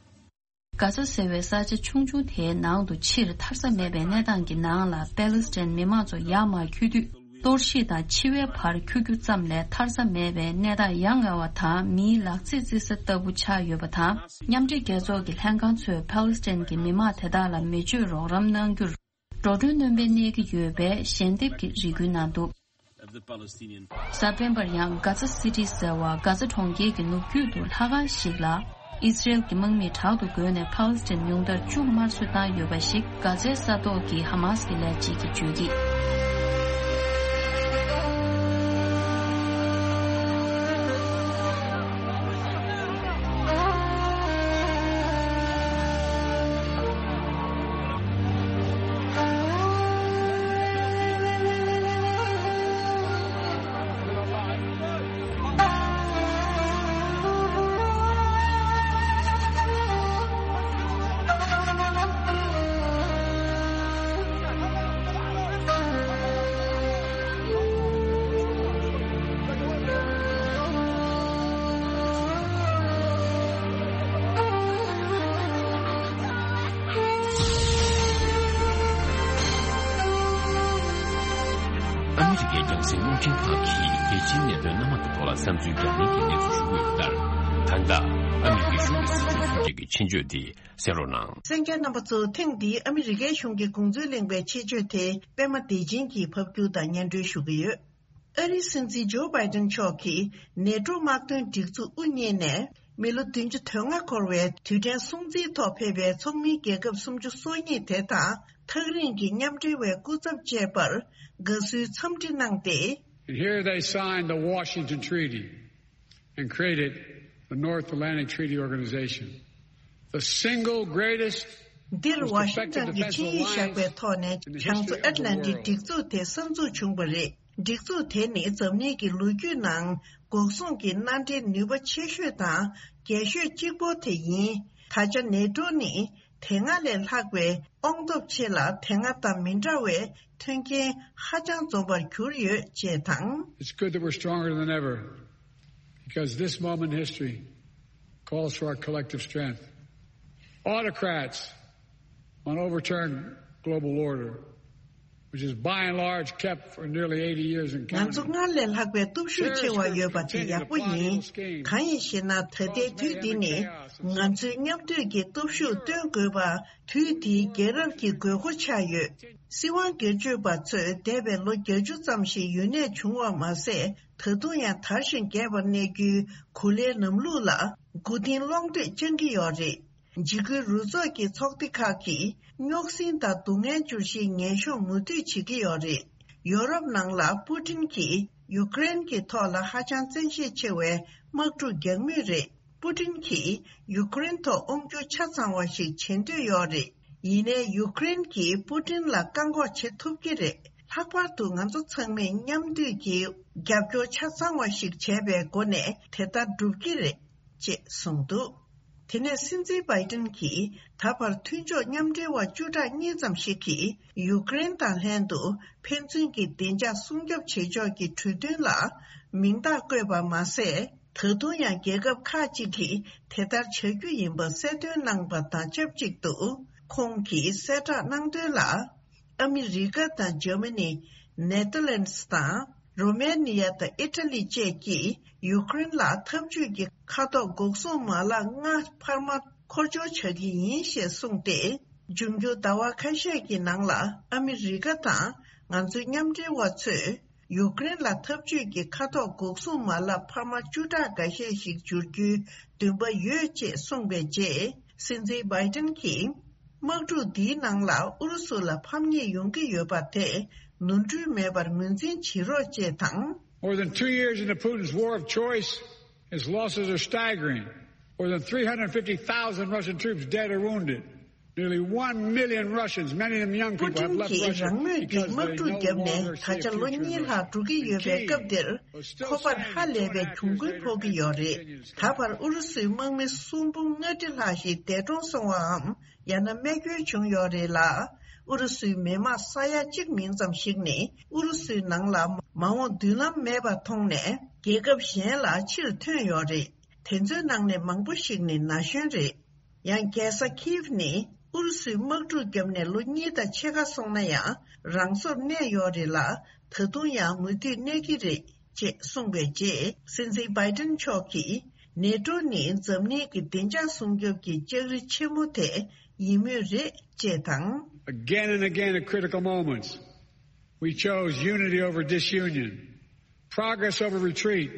གྷ་ཛ་ཟེར་བའི་ས་ཆ་ཆུང་ཆུང་དེའི་ནང་དུ་ཕྱིར་ཐར་ས་མེད་པའི་གནས་སྟངས་ཀྱི་ནང་ལ། པེ་ལེ་སི་ཐན་མི་མང་ཚོ་ཡར་མར་འཁྱུད་དུས། གཏོར་བཤིག་དང་འཆི་བའི་བར་འཁྱུད་རྒྱུ་ཙམ་ལས་ཐར་ས་མེད་པའི་གནས་སྟངས་ཡ་ང་བ་དང་། མིའི་ལག་རྩེད་རྩེ་ས་ལྟ་བུ་ཆགས་ཡོད་པ་དང་། མཉམ་འབྲེལ་རྒྱལ་ཚོགས་ཀྱི་ལྷན་ཁང་ཚོས་པེ་ལེ་སི་ཐན་གྱི་མི་མང་དེ་དག་ལ་མི་སྤྱོད་རོགས་རམ་གནང་རྒྱུར། འགྲོ་གྲོན་སྣོན་པའི་གནས་ཀྱི་ཡོད་པའི་ཞལ་འདེབས་ཀྱི་རེ་སྐུལ་གནང་འདུག་གཟའ་སྤེན་པར་ཡང་གྷ་ཛ་སི་ཊི་ཟེར་བ་གྷ་ཛ་གྲོང་ཁྱེར་གྱི་ནུབ་རྒྱུད་དུ་ལྷ་ཁང་ཞིག་ལ་ཨི་སི་རེལ་གྱི་དམག་མིས་དྲག་ཏུ་རྒོལ་ནས་ཕཱ་ལེ་སི་ཐན་ཉུང་མཐར་བཅུ་དམར་གསོད་བཏང་ཡོད་པ་ཞིག་གྷ་ཛའི་ས་ཐོག་གི་ཧ་མཱ་སི་གི་ལས་བྱེད་ཀྱིས་བརྗོད་ཀྱིས། ཨ་མི་རི་ཀའི་རྒྱང་སྲིང་རླུང་འཕྲིན་ཁང་གིས་རྒྱལ་སྤྱིའི་གནད་དོན་སྣ་མང་གི་ཐོག་ལ་བསམ་ཚུལ་རྒྱག་མཁན་གྱི་གནས་ཚུལ་ཞུ་གི་ཡོད་པ་ལྟར། ད་ལྟ་ཨ་མི་རི་ཀའི་གཞུང་གི་སྲིད་ཇུས་སུ་འགྱུར་གྱི་ཆེད་བརྗོད་དེ་གསན་རོགས་གནང་། གསན་མཁན་རྣམ་པ་ཚོ། ཐེངས་འདིའི་ཨ་མི་རི་ཀའི་གཞུང་གི་དགོངས་ཚུལ་གླེང་བའི་ཆེད་བརྗོད་དེ་པད་མ་བདེ་ཆེན་གྱིས་ཕབ་སྒྱུར་དང་སྙན་སྒྲོན་ཞུ་གི་ཡོད། ཨ་རིའི་སྲིད་འཛིན་ཇོ་བྷའི་ཏན་མཆོག་གིས་ནེ་ཏྲོ་དམག་དོན་སྒྲིག་འཛུགས་དབུ་བརྙེས་ནས་མི་ལོ་བདུན་ཅུ་དོན་ལྔ་འཁོར་བའི་དུས་དྲན་སྲུང་བརྩིའི་ཐོག་ཕེབས་པའི་ཚོགས་མིའི་རྒྱལ་ཁབ་སུམ་ཅུ་སོ་གཉིས་དེ་དང་། ཐག་རིང་གི་མཉམ་འབྲེལ་བའི་སྐུ་ཚབ་བཅས་པར་དགའ་བསུའི་འཚམས་འདྲི་གནང་སྟེ། And here they signed the Washington Treaty and created the North Atlantic Treaty Organization, the single greatest འདིར་ཝ་ཤིང་ཊོན་གྱི་ཆིངས་ཡིག་བཞག་པའི་ཐོག་ནས་བྱང་མཚོ་ཨེཊ་ལན་ཊིག་སྒྲིག་འཛུགས་དེ་གསར་འཛུགས་བྱུང་བ་རེད། སྒྲིག་འཛུགས་དེ་ནི་འཛམ་གླིང་གི་ལོ་རྒྱུས་ནང་འགོག་སྲུང་གི་མནའ་འབྲེལ་ནུས་པ་ཆེ་ཤོས་དང་རྒྱས་ཤོས་གཅིག་པོ་དེ་ཡིན། ད་ཆ་ནེ་ཏྲོ་ནི་དེ་སྔ་ལས་ལྷག་པའི་དབང་སྟོབས་ཆེ་ལ། དེ་སྔ་དང་མི་འདྲ་བའི་མཐུན་རྐྱེན་ཧ་ཅང་འཛོམས་པར་གྱུར་ཡོད་ཅེས་དང་། It's good that we're stronger than ever, because this moment in history calls for our collective strength. Autocrats want to overturn global order. which is by and large kept for nearly eighty years in Canada. ང་ཚོ་སྔར་ལས་ལྷག་པའི་སྟོབས་ཤུགས་ཆེ་བ་ཡོད་པ་དེ་ཡག་པོ་ཡིན། གང་ཡིན་ཞེ་ན། ད་ལྟའི་དུས་འདི་ནི་ང་ཚོའི་མཉམ་འདུས་ཀྱི་སྟོབས་ཤུགས་སྟོན་དགོས་པ་དུས་འདིའི་རྒྱལ་རབས་ཀྱི་དགོས་མཁོ་ཆགས་ཡོད། སྲིད་དབང་སྒེར་གཅོད་པ་ཚོས་འདས་པའི་ལོ་བརྒྱད་ཅུ་ཙམ་ཞིག་ཡུན་གནས་བྱུང་བ་མ་ཟད། ད་དུང་ཡང་དར་ཞིང་རྒྱས་པར་གནས་རྒྱུའི་གོ་ལའི་ལམ་ལུགས་ལ་མགོ་རྟིང་སློང་འདོད་བཅངས་ཀྱི་ཡོད་རེད། འཇིགས་སྐུལ་རུ་ཚོགས་ཀྱི་ཚོགས་སྡེ་ཁག་གིས་རྙོག་ཟིང་དང་སྡུག་བསྔལ་འབྱོར་བཞིའི་ངན་གཤོངས་མུ་མཐུད་བྱེད་ཀྱི་ཡོད་རེད། ཡོ་རོབ་ནང་ལ་པུ་ཏིན་གྱིས་ཡུ་ཀེ་རེན་གྱི་ཐོག་ལ་ཧ་ཅང་བཙན་ཤེད་ཆེ་བའི་དམག་འཁྲུག་རྒྱག་མུས་རེད། པུ་ཏིན་གྱིས་ཡུ་ཀེ་རེན་ཐོག་དབང་སྒྱུར་ཆ་ཚང་བ་ཞིག་བྱེད་འདོད་ཡོད་རེད། ཡིན་ནའི་ཡུ་ཀེ་རེན་གྱིས་པུ་ཏིན་ལ་བཀག་འགོག་བྱེད་ཐུབ་ཀྱི་རེད། ལྷག་པར་དུ་ང་ཚོ་ཚང་མས་མཉམ་འདུས་ཀྱིས་རྒྱབ་སྐྱོར་ཆ་ཚང་བ་ཞིག་བྱས་པའི་སྒོ་ནས་དེ་ལྟར་འགྲུབ་ཀྱི་རེད། ཅེས་གསུངས་འདུག་དེ་ནས་སྲིད་འཛིན་བྷའི་ཏིན་གྱིས་ད་བར་མཐུན་ཕྱོགས་མཉམ་འབྲེལ་བ་བཅུ་ཕྲག་གཉིས་ཙམ་ཞིག་གིས་ཡུ་ཀེ་རེན་དང་ལྷན་དུ་ཕན་ཚུན་གྱི་བདེ་འཇགས་སྲུང་སྐྱོབ་བྱེད་ཕྱོགས་ཀྱི་གྲོས་མཐུན་ལ་མིང་རྟགས་བཀོད་པ་མ་ཟད། ད་དུང་ཡང་རྒྱལ་ཁབ་ཁག་ཅིག་གིས་དེ་ལྟར་བྱ་རྒྱུ་ཡིན་པ་གསལ་སྟོན་གནང་པ་དང་ཆབས་ཅིག་ཏུ། ཁོང་གིས་གསལ་བསྒྲགས་གནང་དོན་ལ། ཨ་མི་རི་ཀ་དང་འཇར་མ་ནི། ནེ་ཐར་ལན་སི་དང་། རོ་མེ་ནི་ཡ་དང་ཨི་ཊ་ལི་བཅས་ཀྱིས་ཡུ་ཀེ་རེན་ལ་འཐབ་ཇུས་ཀྱི་མཁའ་ཐོག་འགོག་སྲུང་མ་ལག་ལྔ་འཕར་མ་འཁོར་སྐྱོད་བྱ་གི་ཡིན་ཞེས་གསུངས་ཏེ། འབྱུང་འགྱུར་ཟླ་བ་ཁ་ཤས་ཀྱི་ནང་ལ་ཨ་མི་རི་ཀ་དང་ང་ཚོའི་མཉམ་འབྲེལ་བ་ཚོས་ཡུ་ཀེ་རེན་ལ་འཐབ་ཇུས་ཀྱི་མཁའ་ཐོག་འགོག་སྲུང་མ་ལག་འཕར་མ་བཅུ་ཕྲག་འགའ་ཤས་ཤིག་འབྱོར་རྒྱུའི་འདུན་པ་ཡོད་ཅེས་གསུངས་པའི་རྗེས། སྲིད་འཛིན་བྷའི་ཏིན་གྱིས། དམག་འཁྲུག་འདིའི་ནང་ལ་ཨུ་རུ་སུ་ལ་ཕམ་ཉེས་ཡོང་གི་ཡོད་པ་དེ་ནོར་འཁྲུལ་མེད་པར་ངོས་འཛིན་བྱེད་རོགས་ཅེས་དང་། More than two years into Putin's war of choice, his losses are staggering. More than three hundred fifty thousand Russian troops dead or wounded. Nearly one million Russians, many of them young people, have left Russia because of the war. པུ་ཏིན་གྱིས་རང་མོས་ཀྱིས་དམག་འཁྲུག་བརྒྱབ་ནས་ད་ཆ་ལོ་གཉིས་ལྷག་འགྲོ་གི་ཡོད་པའི་སྐབས་འདིར། ཁོ་པར་ཧ་ལས་པའི་གྱོང་གུན་ཕོག་གི་ཡོད་རེད། ད་བར་ཨུ་རུ་སུའི་དམག་མི་སུམ་འབུམ་ལྔ་ཁྲི་ལྷག་ཞིག་འདས་གྲོངས་སོང་བའམ། ཡང་ན་རྨས་སྐྱོན་བྱུང་ཡོད་རེད་ལ། ཨུ་རུ་སུའི་མི་དམངས་ས་ཡ་གཅིག་མིན་ཙམ་ཞིག་ནི་ཨུ་རུ་སུའི་ནང་ལ་མ་འོངས་མདུན་ལམ་མེད་པ་མཐོང་ནས། རྒྱལ་ཁབ་གཞན་ལ་ཕྱིར་ཐོན་ཡོད་རེད། དེ་ཚོའི་ནང་ནས་མང་པོ་ཞིག་ནི་ན་གཞོན་རེད། ཡང་རྒྱལ་ས་ཁིབ་ནི་ཨུ་རུ་སུའི་དམག་འཁྲུག་བརྒྱབ་ནས་ལོ་གཉིས་དང་ཕྱེད་ཀ་སོང་ན་ཡང་རང་སོར་གནས་ཡོད་རེད་ལ། ད་དུང་ཡང་མུ་མཐུད་གནས་ཀྱི་རེད། ཅེས་གསུངས་པའི་རྗེས། སྲིད་འཛིན་བྷའི་ཏིན་མཆོག་གིས་ནེ་ཏྲོ་ནི་འཛམ་གླིང་གི་བདེ་འཇགས་སྲུང་སྐྱོབ་ཀྱི་ལྕགས་རི་ཆེན་མོ་དེ་ཡིན་མུས་རེད་ཅེས་དང་། Again and again at critical moments, we chose unity over disunion, progress over retreat,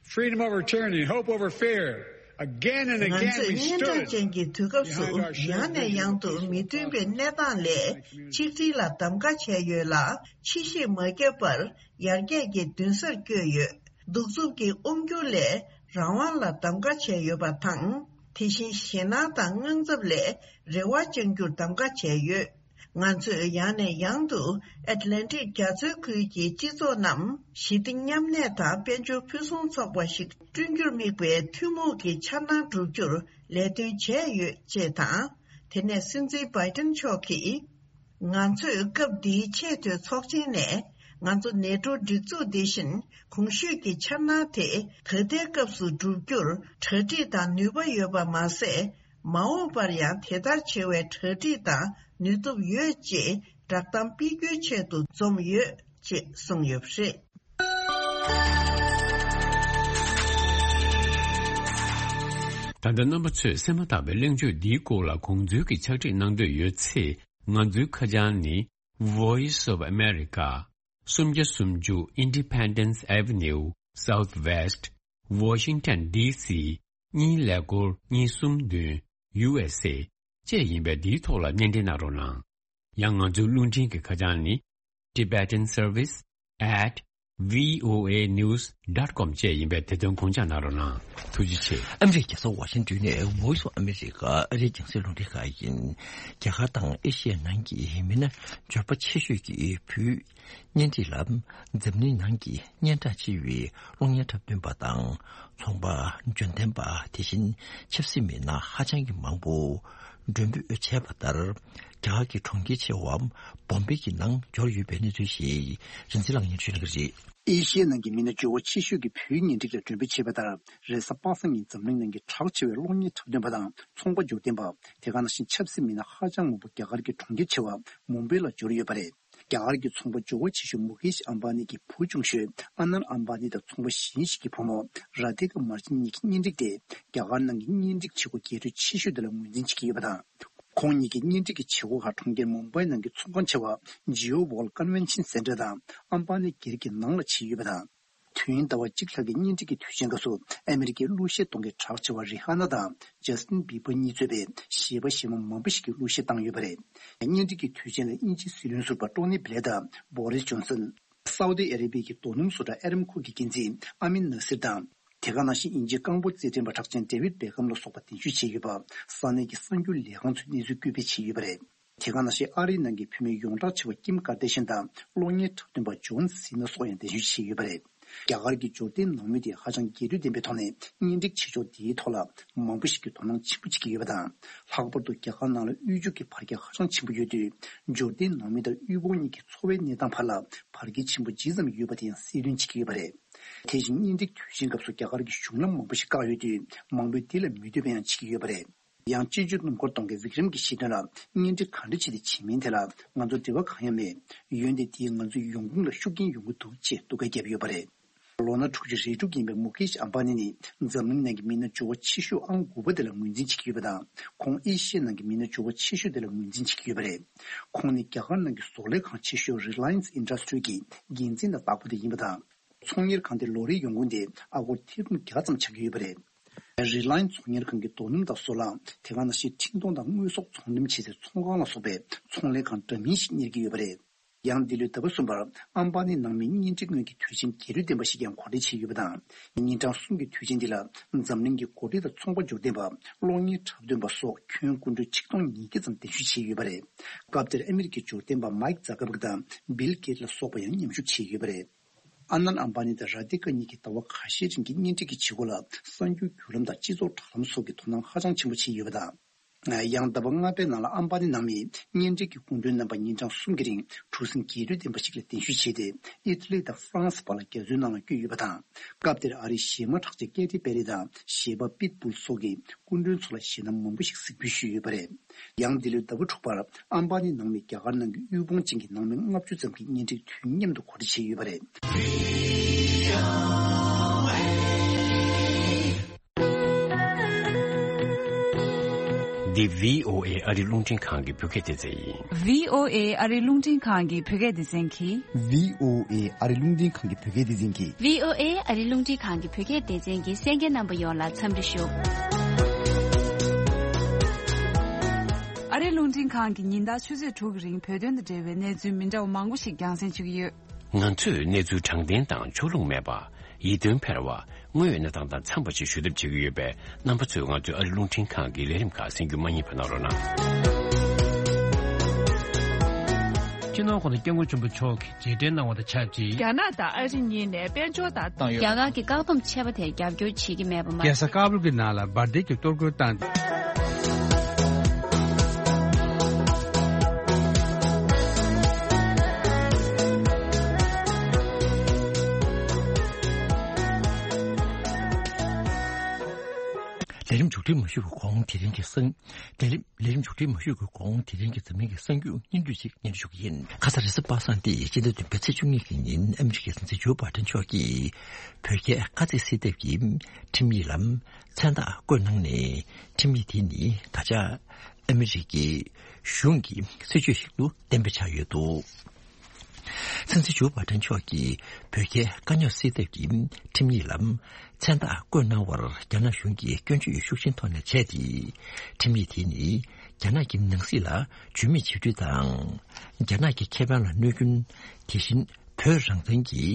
freedom over tyranny, hope over fear. Again and again, we stood behind our shared vision for peaceful and secure future. ང་ཚོས་སྙན་གྲགས་ཅན་གྱི་དུས་སྐབས་སུ་ཡང་ནས་ཡང་དུ་མི་མཐུན་པའི་གནས་སྟངས་ལས་ཆིག་སྒྲིལ་ལ་གདམ་ག་བྱས་ཡོད་ལ། ཕྱི་བཤིག་མ་བརྒྱབ་པར་ཡར་རྒྱས་ཀྱི་མདུན་སར་བསྐྱོད་ཡོད། གདུག་རྩུབ་ཀྱི་དབང་སྒྱུར་ལས་རང་དབང་ལ་གདམ་ག་བྱས་ཡོད་པ་དང་། དེ་བཞིན་ཞེད་སྣང་དང་དངངས་འཚབ་ལས་རེ་བ་བཅང་རྒྱུར་གདམ་ག་བྱས་ཡོད། ང་ཚོས་ཡང་ནས་ཡང་དུ་ཨེཊ་ལན་ཊིག་རྒྱ་མཚོའི་ཁུལ་གྱི་སྤྱི་ཚོགས་རྣམས་ཞི་བདེ་མཉམ་གནས་དང་དཔལ་འབྱོར་ཕུན་སུམ་ཚོགས་པ་ཞིག་བསྐྲུན་རྒྱུར་དམིགས་པའི་ཐུན་མོང་གི་འཆར་སྣང་བསྒྲུབ་རྒྱུར་ལས་དོན་བྱས་ཡོད་ཅེས་དང་། དེ་ནས་སྲིད་འཛིན་བྷའི་ཏིན་མཆོག་གིས། ང་ཚོས་སྐབས་འདིའི་ཆེས་མཐོའི་ཚོགས་ཆེན་ནས་ང་ཚོ་ནེ་ཏྲོ་སྒྲིག་འཛུགས་འདི་བཞིན་གོང་ཞུས་ཀྱི་འཆར་སྣང་དེ་ད་ལྟའི་སྐབས་སུ་བསྒྲུབ་རྒྱུར་གྲ་སྒྲིག་དང་ནུས་པ་ཡོད་པ་མ་ཟད། མ་འོངས་པར་ཡང་དེ་ལྟར་བྱེད་པའི་གྲ་སྒྲིག་དང་ནུས་སྟོབས་ཡོད་ཅེས་བསྒྲགས་གཏམ་སྤེལ་རྒྱུའི་ཆེད་དུ་འཛོམས་ཡོད་ཅེས་གསུངས་ཡོད་པ་རེད། ད་ལྟ་རྣམ་པ་ཚོས་གསན་མ་ཐག་པའི་གླེང་བརྗོད་འདིའི་སྐོར་ལ་དགོངས་ཚུལ་གྱི་ཕྱག་བྲིས་གནང་འདོད་ཡོད་ཚེ། ང་ཚོའི་ཁ་བྱང་ནི། Voice of America, སུམ་བརྒྱ་སུམ་ཅུ་Independence Avenue, Southwest, Washington D C གཉིས་ཀླད་ཀོར་གཉིས་གསུམ་བདུན། U S A བཅས་ཡིན་པས། འདིའི་ཐོག་ལ་སྙན་འབྲེལ་གནང་རོགས་གནང་། ཡང་ང་ཚོའི་རླུང་འཕྲིན་གྱི་ཁ་བྱང་ནི། Tibetan Service at V O A news dot com བཅས་ཡིན་པས། དེ་དོན་དགོངས་འཇགས་གནང་རོགས་གནང་། ཐུགས་རྗེ་ཆེ། ཨ་མི་རི་ཀའི་རྒྱལ་ས་ཝ་ཤིང་ཏོན་ནས་Voice of America ཨ་རིའི་རྒྱང་སྲིང་རླུང་འཕྲིན་ཁང་ཡིན། རྒྱ་གར་དང་ཨེ་ཤི་ཡའི་ནང་གི་མི་སྣ་འབྱོར་པ་ཆེ་ཤོས་ཀྱི་བུའི་གཉེན་སྒྲིག་ལ་འཛམ་གླིང་ནང་གི་སྙན་གྲགས་ཆེ་བའི་གློག་བརྙན་འཁྲབ་སྟོན་པ་དང་། ཚོང་པ། འཇོན་ལྡན་པ། དེ་བཞིན་ཆབ་སྲིད་མི་སྣ་ཧ་ཅང་གི་མང་པོ་མགྲོན་འབོད་བྱས་པ་ལྟར། རྒྱ་གར་གྱི་གྲོང་ཁྱེར་ཆེ་བ་བོམ་བེ་གི་ནང་འབྱོར་ཡོད་པའི་གནས་ཚུལ་ཞིག་རིན་འཛིན་ལགས་སྙན་ཞུ་གནང་གི་རེད། ཨེ་ཤི་ཡའི་ནང་གི་མི་སྣ་འབྱོར་བ་ཆེ་ཤོས་ཀྱི་བུའི་གཉེན་སྒྲིག་ལ་མགྲོན་འབོད་བྱས་པ་ལྟར། རེས་གཟའ་པ་སངས་ཉིན་འཛམ་གླིང་ནང་གི་གྲགས་ཆེ་བའི་གློག་བརྙན་འཁྲབ་སྟོན་པ་དང་ཚོང་པ། འཇོན་ལྡན་པ། དེ་ག་ནང་བཞིན་ཆབ་སྲིད་མི་སྣ་ཧ་ཅང་མང་པོ་རྒྱ་གར་གྱི་གྲོང་ཁྱེར་ཆེ་བ་མུམ་བེ་ལ་འབྱོར་ཡོད་པ་རེད། རྒྱ་གར་གྱི་ཚོང་པ་འབྱོར་བ་ཆེ་ཤོས་མུ་ཁེཤ་ཨམ་བྷ་ནི་གི་བུ་ཆུང་ཤོས་ཨ་ནན་ཨམ་བྷ་ནི་དང་ཚོང་པ་གཞན་ཞིག་གི་བུ་མོ་ར་དྷི་ཀ་མར་ཅན་གཉིས་ཀྱི་གཉེན་སྒྲིག་དེ་རྒྱ་གར་ནང་གི་གཉེན་སྒྲིག་བྱེད་སྒོ་རྒྱས་སྤྲོས་ཆེ་ཤོས་དེ་ལ་ངོས་འཛིན་བྱེད་ཀྱི་ཡོད་པ་དང་། ཁོང་གཉིས་ཀྱི་གཉེན་སྒྲིག་གི་བྱེད་སྒོ་ཁག་གྲོང་ཁྱེར་མུམ་བྷའི་ནང་གི་ཚོང་ཁང་ཆེ་བ་Jio World Convention Center དང་ཨམ་བྷ་ནི་སྒེར་གྱི་ནང་ལ་བྱས་ཡོད་པ་དང་། དུས་ཡུན་ཟླ་བ་གཅིག་ལྷག་གི་གཉེན་སྒྲིག་གི་དུས་ཆེན་སྐབས་སུ་ཨ་མི་རི་ཀའི་གླུ་གཞས་གཏོང་མཁན་གྲགས་ཆེ་བ་རི་ཧ་ན་དང་ཇ་སྟིན་བྷི་བྷར་གཉིས་གཙོས་པའི་གཞས་པ་གཞས་མ་མང་པོ་ཞིག་གིས་གླུ་གཞས་བཏང་ཡོད་པ་རེད། གཉེན་སྒྲིག་གི་དུས་ཆེན་ལ་དབྱིན་ཇིའི་སྲིད་བློན་ཟུར་པ་ཊོ་ནི་བྷི་ལེ་དང་བྷོ་རིས་ཇོན་སན། སའུ་ཏི་ཨ་རེ་བྷི་ཡའི་རྡོ་སྣུམ་བཟོ་གྲྭ་ཨེ་རམ་ཁོ་གི་འགན་འཛིན་ཨ་མིན་ནཱ་སིར་དང་། དེ་ག་ནང་བཞིན་དབྱིན་ཇིའི་རྐང་སྤོལ་རྩེད་འགྲན་པ་གྲགས་ཅན་ཌེ་བིད་བྷེ་ཁམ་ལ་སོགས་པ་གདན་ཞུ་བྱས་ཡོད་པ། ས་གནས་ཀྱི་གསར་འགྱུར་ལས་ཁང་ཚོས་གནས་ཚུལ་བཀོད་སྤེལ་བྱས་ཡོད་པ་རེད། དེ་ག་ནང་བཞིན་ཨ་རིའི་ནང་གི་བུད་མེད་ཡོངས་གྲགས་ཆེ་བ་ཀིམ་ཀར་ཏེ་ཤན་དང་གློག་བརྙན་འཁྲབ་སྟོན་པ་ཇོན་སི་ན་སོགས་ཡང་གདན་ཞུ་བྱས་ཡོད་པ་རེད། རྒྱ་གར་གྱི་འབྱོར་ལྡན་ནང་མི་དེ་ཧ་ཅང་རྒྱས་སྤྲོས་ལྡན་པའི་ཐོག་ནས་གཉེན་སྒྲིག་བྱེད་ཕྱོགས་འདིའི་ཐོག་ལ་མང་པོ་ཞིག་གིས་དོ་སྣང་ཆེན་པོ་བྱེད་ཀྱི་ཡོད་པ་དང་། ལྷག་པར་དུ་རྒྱ་གར་ནང་ལ་དབུལ་ཕྱུག་གི་བར་ཁྱད་ཧ་ཅང་ཆེན་པོ་ཡོད་དུས། འབྱོར་ལྡན་ནང་མི་དང་དབུལ་ཕོངས་གཉིས་ཀྱི་འཚོ་བའི་གནས་སྟངས་བར་ལ་བར་ཁྱད་ཆེན་པོ་ཇི་ཙམ་ཡོད་པ་དེ་ཡང་གསལ་སྟོན་བྱེད་ཀྱི་ཡོད་པ་རེད། དེ་བཞིན་གཉེན་སྒྲིག་དུས་ཆེན་སྐབས་སུ་རྒྱ་གར་གྱི་གཞུང་ལམ་མང་པོ་ཞིག་བཀག་ཡོད་དུས། མང་པོས་དེ་ལ་མི་འདོད་པ་ཡང་བྱེད་ཀྱི་ཡོད་པ་རེད། ཡང་སྤྱི་སྤྱོད་སྣུམ་འཁོར་གཏོང་མཁན་བི་ཀྲམ་གྱིས་བཤད་དོན་ལ། གཉེན་སྒྲིག་ག་འདྲ་བྱས་ཏེ་བྱེད་མིན་དེ་ལ་ང་ཚོ་འབྲེལ་བ་གང་ཡང་མེད། འོན་ཏེ་དེས་ང་ཚོའི་ཡོང་ཁུངས་ལ་ཤུགས་རྐྱེན་ཡོང་གི་འདུག་ཅེས་སྡུག་སྐད་བརྒྱབ་ཡོད་པ་རེད། ལོ་ན་དྲུག་ཅུ་རེ་དྲུག་ཡིན་པའི་མུ་ཁེཤ་ཨམ་བྷ་ནི་ནི་འཛམ་གླིང་ནང་གི་མི་སྣ་འབྱོར་བ་ཆེ་ཤོས་ཨང་དགུ་པ་དེ་ལ་ངོས་འཛིན་བྱེད་ཀྱི་ཡོད་པ་དང་། ཁོང་ཨེ་ཤི་ཡའི་ནང་གི་མི་སྣ་འབྱོར་བ་ཆེ་ཤོས་དེ་ལ་ངོས་འཛིན་བྱེད་ཀྱི་ཡོད་པ་རེད། ཁོང་ནི་རྒྱ་གར་ནང་གི་བཟོ་ལས་ཁང་ཆེ་ཤོས་Reliance Industry གི་འགན་འཛིན་དང་བདག་པོ་དེ་ཡིན་པ་དང་། ཚོང་གཉེར་ཁང་དེ་ལོ་རེའི་ཡོང་ཁུངས་དེ་ཨ་སྒོར་ཐེར་འབུམ་བརྒྱ་ཙམ་ཆགས་ཀྱི་ཡོད་པ་རེད། རི་ལའེན་ཚོང་གཉེར་ཁང་གི་རྡོ་སྣུམ་དང་སོལ་རླངས། དེ་ག་ནང་བཞིན་འཕྲིན་གཏོང་དང་དངོས་ཟོག་ཚོང་འགྲེམས་བྱེད་སའི་ཚོང་ཁང་ལ་སོགས་པའི་ཚོང་ལས་ཁང་འདྲ་མིན་ཞིག་གཉེར་གྱི་ཡོད་པ་རེད། ཡང་འདི་ལོའི་ཟླ་བ་གསུམ་པར་ཨམ་བྷ་ནི་ནང་མིའི་གཉེན་སྒྲིག་སྔོན་གྱི་དུས་ཆེན་རྒྱས་སྤྲོས་ལྡན་པ་ཞིག་ཀྱང་གོ་སྒྲིག་བྱས་ཡོད་པ་དང་། ཉིན་གྲངས་གསུམ་གྱི་དུས་ཆེན་འདི་ལ་འཛམ་གླིང་གི་འགོ་ཁྲིད་དང་ཚོང་པ་འབྱོར་ལྡན་པ། གློག་བརྙན་འཁྲབ་སྟོན་པ་སོགས་ཁྱོན་སྐུ་མགྲོན་ཆིག་སྟོང་ཉིས་བརྒྱ་ཙམ་གདན་ཞུ་བྱས་ཡོད་པ་རེད། སྐབས་དེར་ཨ་མི་རི་ཀའི་འབྱོར་ལྡན་པ་མའིག་ཛ་ཀར་བྷག་དང་བིལ་གེ་ཊི་ལ་སོགས་པ་ཡང་མཉམ་ཞུགས་བྱས་ཡོད་པ་རེད། ཨ་ནན་ཨམ་བྷ་ནི་དང་ར་དྷི་ཀ་གཉིས་ཀྱིས་ཟླ་བ་ཁ་ཤས་རིང་གི་གཉེན་སྒྲིག་གི་བྱེད་སྒོ་ལ་གསར་འགྱུར་བརྒྱུད་ལམ་དང་སྤྱི་ཚོགས་དྲ་ལམ་སོགས་ཀྱིས་དོ་སྣང་ཧ་ཅང་ཆེན་པོ་བྱས་ཡོད་པ་དང་། ཡང་ཟླ་བ་ལྔ་པའི་ནང་ལ་ཨམ་བྷ་ནི་ནང་མིའི་གཉེན་སྒྲིག་གི་སྐུ་མགྲོན་རྣམ་པ་ཉིན་གྲངས་གསུམ་གྱི་རིང་གྲུ་གཟིངས་རྒྱས་སྤྲོས་ལྡན་པ་ཞིག་ལ་གདན་ཞུ་བྱས་ཏེ། ཨི་ཊ་ལི་དང་ཧྥ་རན་སི་བར་ལ་རྒྱ་མཚོའི་ནང་ལ་བསྐྱོད་ཡོད་པ་དང་། སྐབས་དེར་ཨ་རིའི་གཞས་མ་གྲགས་ཅན་ཀེ་ཏི་པེ་རི་དང་གཞས་པ་པིཊ་བྷུལ་སོགས་ཀྱིས་སྐུ་མགྲོན་ཚོ་ལ་གཞས་སྣ་མང་པོ་ཞིག་གཟིགས་འབུལ་ཞུས་ཡོད་པ་རེད། ཡང་འདི་ལོའི་ཟླ་བ་དྲུག་པར་ཨམ་བྷ་ནི་ནང་མི་རྒྱ་གར་ནང་གི་དབུལ་ཕོངས་ཅན་གྱི་ནང་མི་ལྔ་བཅུ་ཙམ་གྱི་གཉེན་སྒྲིག་དུས་མཉམ་དུ་གོ་སྒྲིག་བྱས་ཡོད་པ་རེད། འདི་བྷི་ཨོ་ཨེ་ཨ་རི་རླུང་འཕྲིན་ཁང་གི་བོད་སྐད་སྡེ་ཚན་ཡིན། བྷི་ཨོ་ཨེ་ཨ་རི་རླུང་འཕྲིན་ཁང་གི་བོད་སྐད་སྡེ་ཚན་གྱིས། བྷི་ཨོ་ཨེ་ཨ་རི་རླུང་འཕྲིན་ཁང་གི་བོད་སྐད་སྡེ་ཚན་གྱིས། བྷི་ཨོ་ཨེ་ཨ་རི་རླུང་འཕྲིན་ཁང་གི་བོད་སྐད་སྡེ་ཚན་གྱི་གསན་མཁན་རྣམ་པ་ཡོངས་ལ་འཚམས་འདྲི་ཞུ། ཨ་རི་རླུང་འཕྲིན་ཁང་གིས་ཉིན་ལྟར་ཆུ་ཚོད་དྲུག་གི་རིང་བོད་དོན་དང་འབྲེལ་བའི་གནས་ཚུལ་མི་འདྲ་བ་མང་པོ་ཞིག་རྒྱང་སྲིང་བྱེད་ཀྱི་ཡོད། ང་ཚོས་གནས་ཚུལ་དྲང་བདེན་དང་ཕྱོགས་ལྷུང་མེད་པ། ཡིད་རྟོན་འཕེར་བ། དངོས་ཡོད་གནས་སྟངས་དང་འཚམས་པ་ཞིག་ཞུ་ཐབས་བྱེད་ཀྱི་ཡོད་པས། རྣམ་པ་ཚོས་ང་ཚོའི་ཨ་རི་རླུང་འཕྲིན་ཁང་གི་ལས་རིམ་ཁག་གསན་རྒྱུ་མ་བསྙེལ་བ་གནང་རོགས་གནང་། སྤྱི་ནོར་༸གོང་ས་༸སྐྱབས་མགོན་ཆེན་པོ་མཆོག་གིས་རྗེས་དྲན་གནང་བ་དང་ཆབས་ཅིག་རྒྱ་ནག་དང་ཨ་རི་གཉིས་ནས་དཔལ་འབྱོར་དང་བཏང་ཡོད། རྒྱ་གར་གྱི་བཀག་སྡོམ་ཆད་པ་དེར་རྒྱབ་སྐྱོར་བྱེད་ཀྱི་མེད་པ་མ། རྒྱལ་ས་ཀ་བུལ་གྱི་ནང་ལ་འབར་མདེལ་གྱི་གཏོར་རྒོལ་བཏང་སྟེ། ལས་རིམ་མཇུག་སྒྲིལ་མ་ཞུ་བའི་གོང་དེ་རིང་གི་གསར། ལས་རིམ། ལས་རིམ་མཇུག་སྒྲིལ་མ་ཞུ་བའི་གོང་དེ་རིང་གི་འཛམ་གླིང་གི་གསར་འགྱུར་སྙིང་བསྡུས་ཤིག་སྙན་སྒྲོན་ཞུ་གི་ཡིན། ཁ་ས་རེས་གཟའ་པ་སངས་ཏེ་སྤྱི་ཟླ་བདུན་པའི་ཚེས་བཅུ་གཉིས་ཀྱི་ཉིན་ཨ་མི་རི་ཀའི་སྲིད་འཛིན་ཇོ་བྷའི་ཏན་མཆོག་གིས་བོད་རྒྱའི་དཀའ་ཚེགས་སེལ་ཐབས་ཀྱི་ཁྲིམས་ཡིག་ལ་མཚན་རྟགས་བཀོད་གནང་ནས། ཁྲིམས་ཡིག་དེ་ནི་ད་ཆ་ཨ་མི་རི་ཀའི་གཞུང་གི་སྲིད་བྱུས་ཤིག་ཏུ་གཏན་འབེབས་ཆགས་ཡོད་འདུག་སྲིད་འཛིན་ཇོ་བྷའི་ཏན་མཆོག་གིས་བོད་རྒྱའི་དཀའ་རྙོག་སེལ་ཐབས་ཀྱི་ཁྲིམས་ཡིག་ལ་མཚན་རྟགས་བཀོད་གནང་བར་རྒྱ་ནག་གཞུང་གིས་སྐྱོན་བརྗོད་ཤུགས་ཆེན་ཐོག་ནས་བྱས་ཏེ། ཁྲིམས་ཡིག་དེ་ནི་རྒྱ་ནག་གི་ནང་སྲིད་ལ་ཇུས་མེད་བྱེད་སྤྲོད་དང་། རྒྱ་ནག་གི་ཁེ་ཕན་ལ་གནོད་སྐྱོན། དེ་བཞིན་བོད་རང་བཙན་གྱི་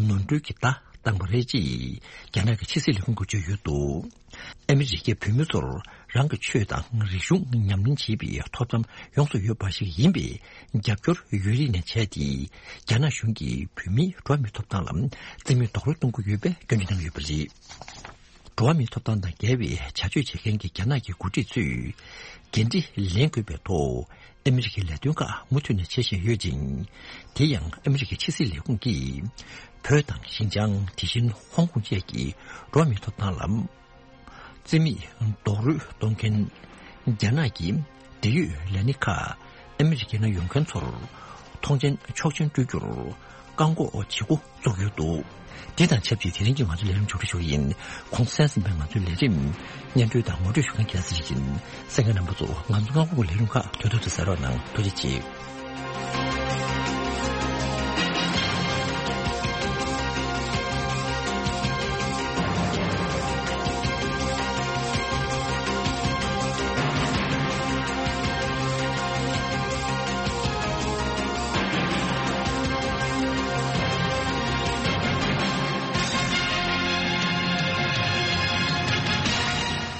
ནོར་འཁྲུལ་གྱི་བརྡ་བཏང་པ་རེད་ཅེས་རྒྱ་ནག་གི་ཕྱི་སྲིད་ལས་ཁུངས་ཀྱིས་བརྗོད་ཡོད་འདུག་ཨ་མི་རི་ཀའི་བོད་མི་ཚོར་རང་གི་ཆོས་དང་རིག་གཞུང་ཉམས་ལེན་བྱེད་པའི་ཐོབ་ཐང་ཡོངས་སུ་ཡོད་པ་ཞིག་ཡིན་པའི་རྒྱབ་སྐྱོར་ཡོད་རིགས་ནས་བྱས་ཏེ། རྒྱ་ནག་གཞུང་གིས་བོད་མིའི་འགྲོ་བ་མིའི་ཐོབ་ཐང་ལ་རྩིས་མེད་རྡོག་རོལ་གཏོང་གི་ཡོད་པའི་སྐྱོན་བརྗོད་གནང་ཡོད་པ་རེད། འགྲོ་བ་མིའི་ཐོབ་ཐང་དང་འགལ་བའི་བྱ་སྤྱོད་བྱེད་མཁན་གྱི་རྒྱ་ནག་གི་འགོ་ཁྲིད་ཚོས་འགན་འཁྲི་ལེན་དགོས་པའི་ཐོག་ཨ་མི་རི་ཀའི་ལས་དོན་ཁག་མུ་མཐུད་ནས་བྱེད་བཞིན་ཡོད་ཅིང་། དེ་ཡང་ཨ་མི་རི་ཀའི་ཕྱི་སྲིད་ལས་ཁུངས་ཀྱིས་བོད་དང་ཤིན་ཅང་། དེ་བཞིན་ཧོང་ཀོང་བཅས་ཀྱི་འགྲོ་བ་མིའི་ཐོབ་ཐང་ལ་རྩིས་མེད་རྡོག་རོལ་གཏོང་མཁན་རྒྱ་ནག་གི་འབྲེལ་ཡོད་ལས་སྣེ་ཁག་ཨ་མི་རི་ཀའི་ནང་ཡོང་མཁན་ཚོར་ མཐོང་ཆེན་ཆོག་མཆན་སྤྲོད་རྒྱུར་བཀག་འགོག་བྱེད་འགོ་བཙུགས་ཡོད་འདུག་དེ་དང་ཆབས་ཅིག་དེ་རིང་གི་ང་ཚོའི་ལས་རིམ་མཇུག་སྒྲིལ་ཞུ་གི་ཡིན། གོང་གསལ་ཟིན་པའི་ང་ཚོའི་ལས་རིམ་སྙན་སྒྲོན་དང་ངོ་སྤྲོད་ཞུ་མཁན་རྒྱལ་སྲས་ཡིན། གསན་མཁན་རྣམ་པ་ཚོ་ང་ཚོ་སྔ་དགོང་གི་ལས་རིམ་ཁག་དུས་ཐོག་ཏུ་གསན་རོགས་གནང་། ཐུགས་རྗེ་ཆེ།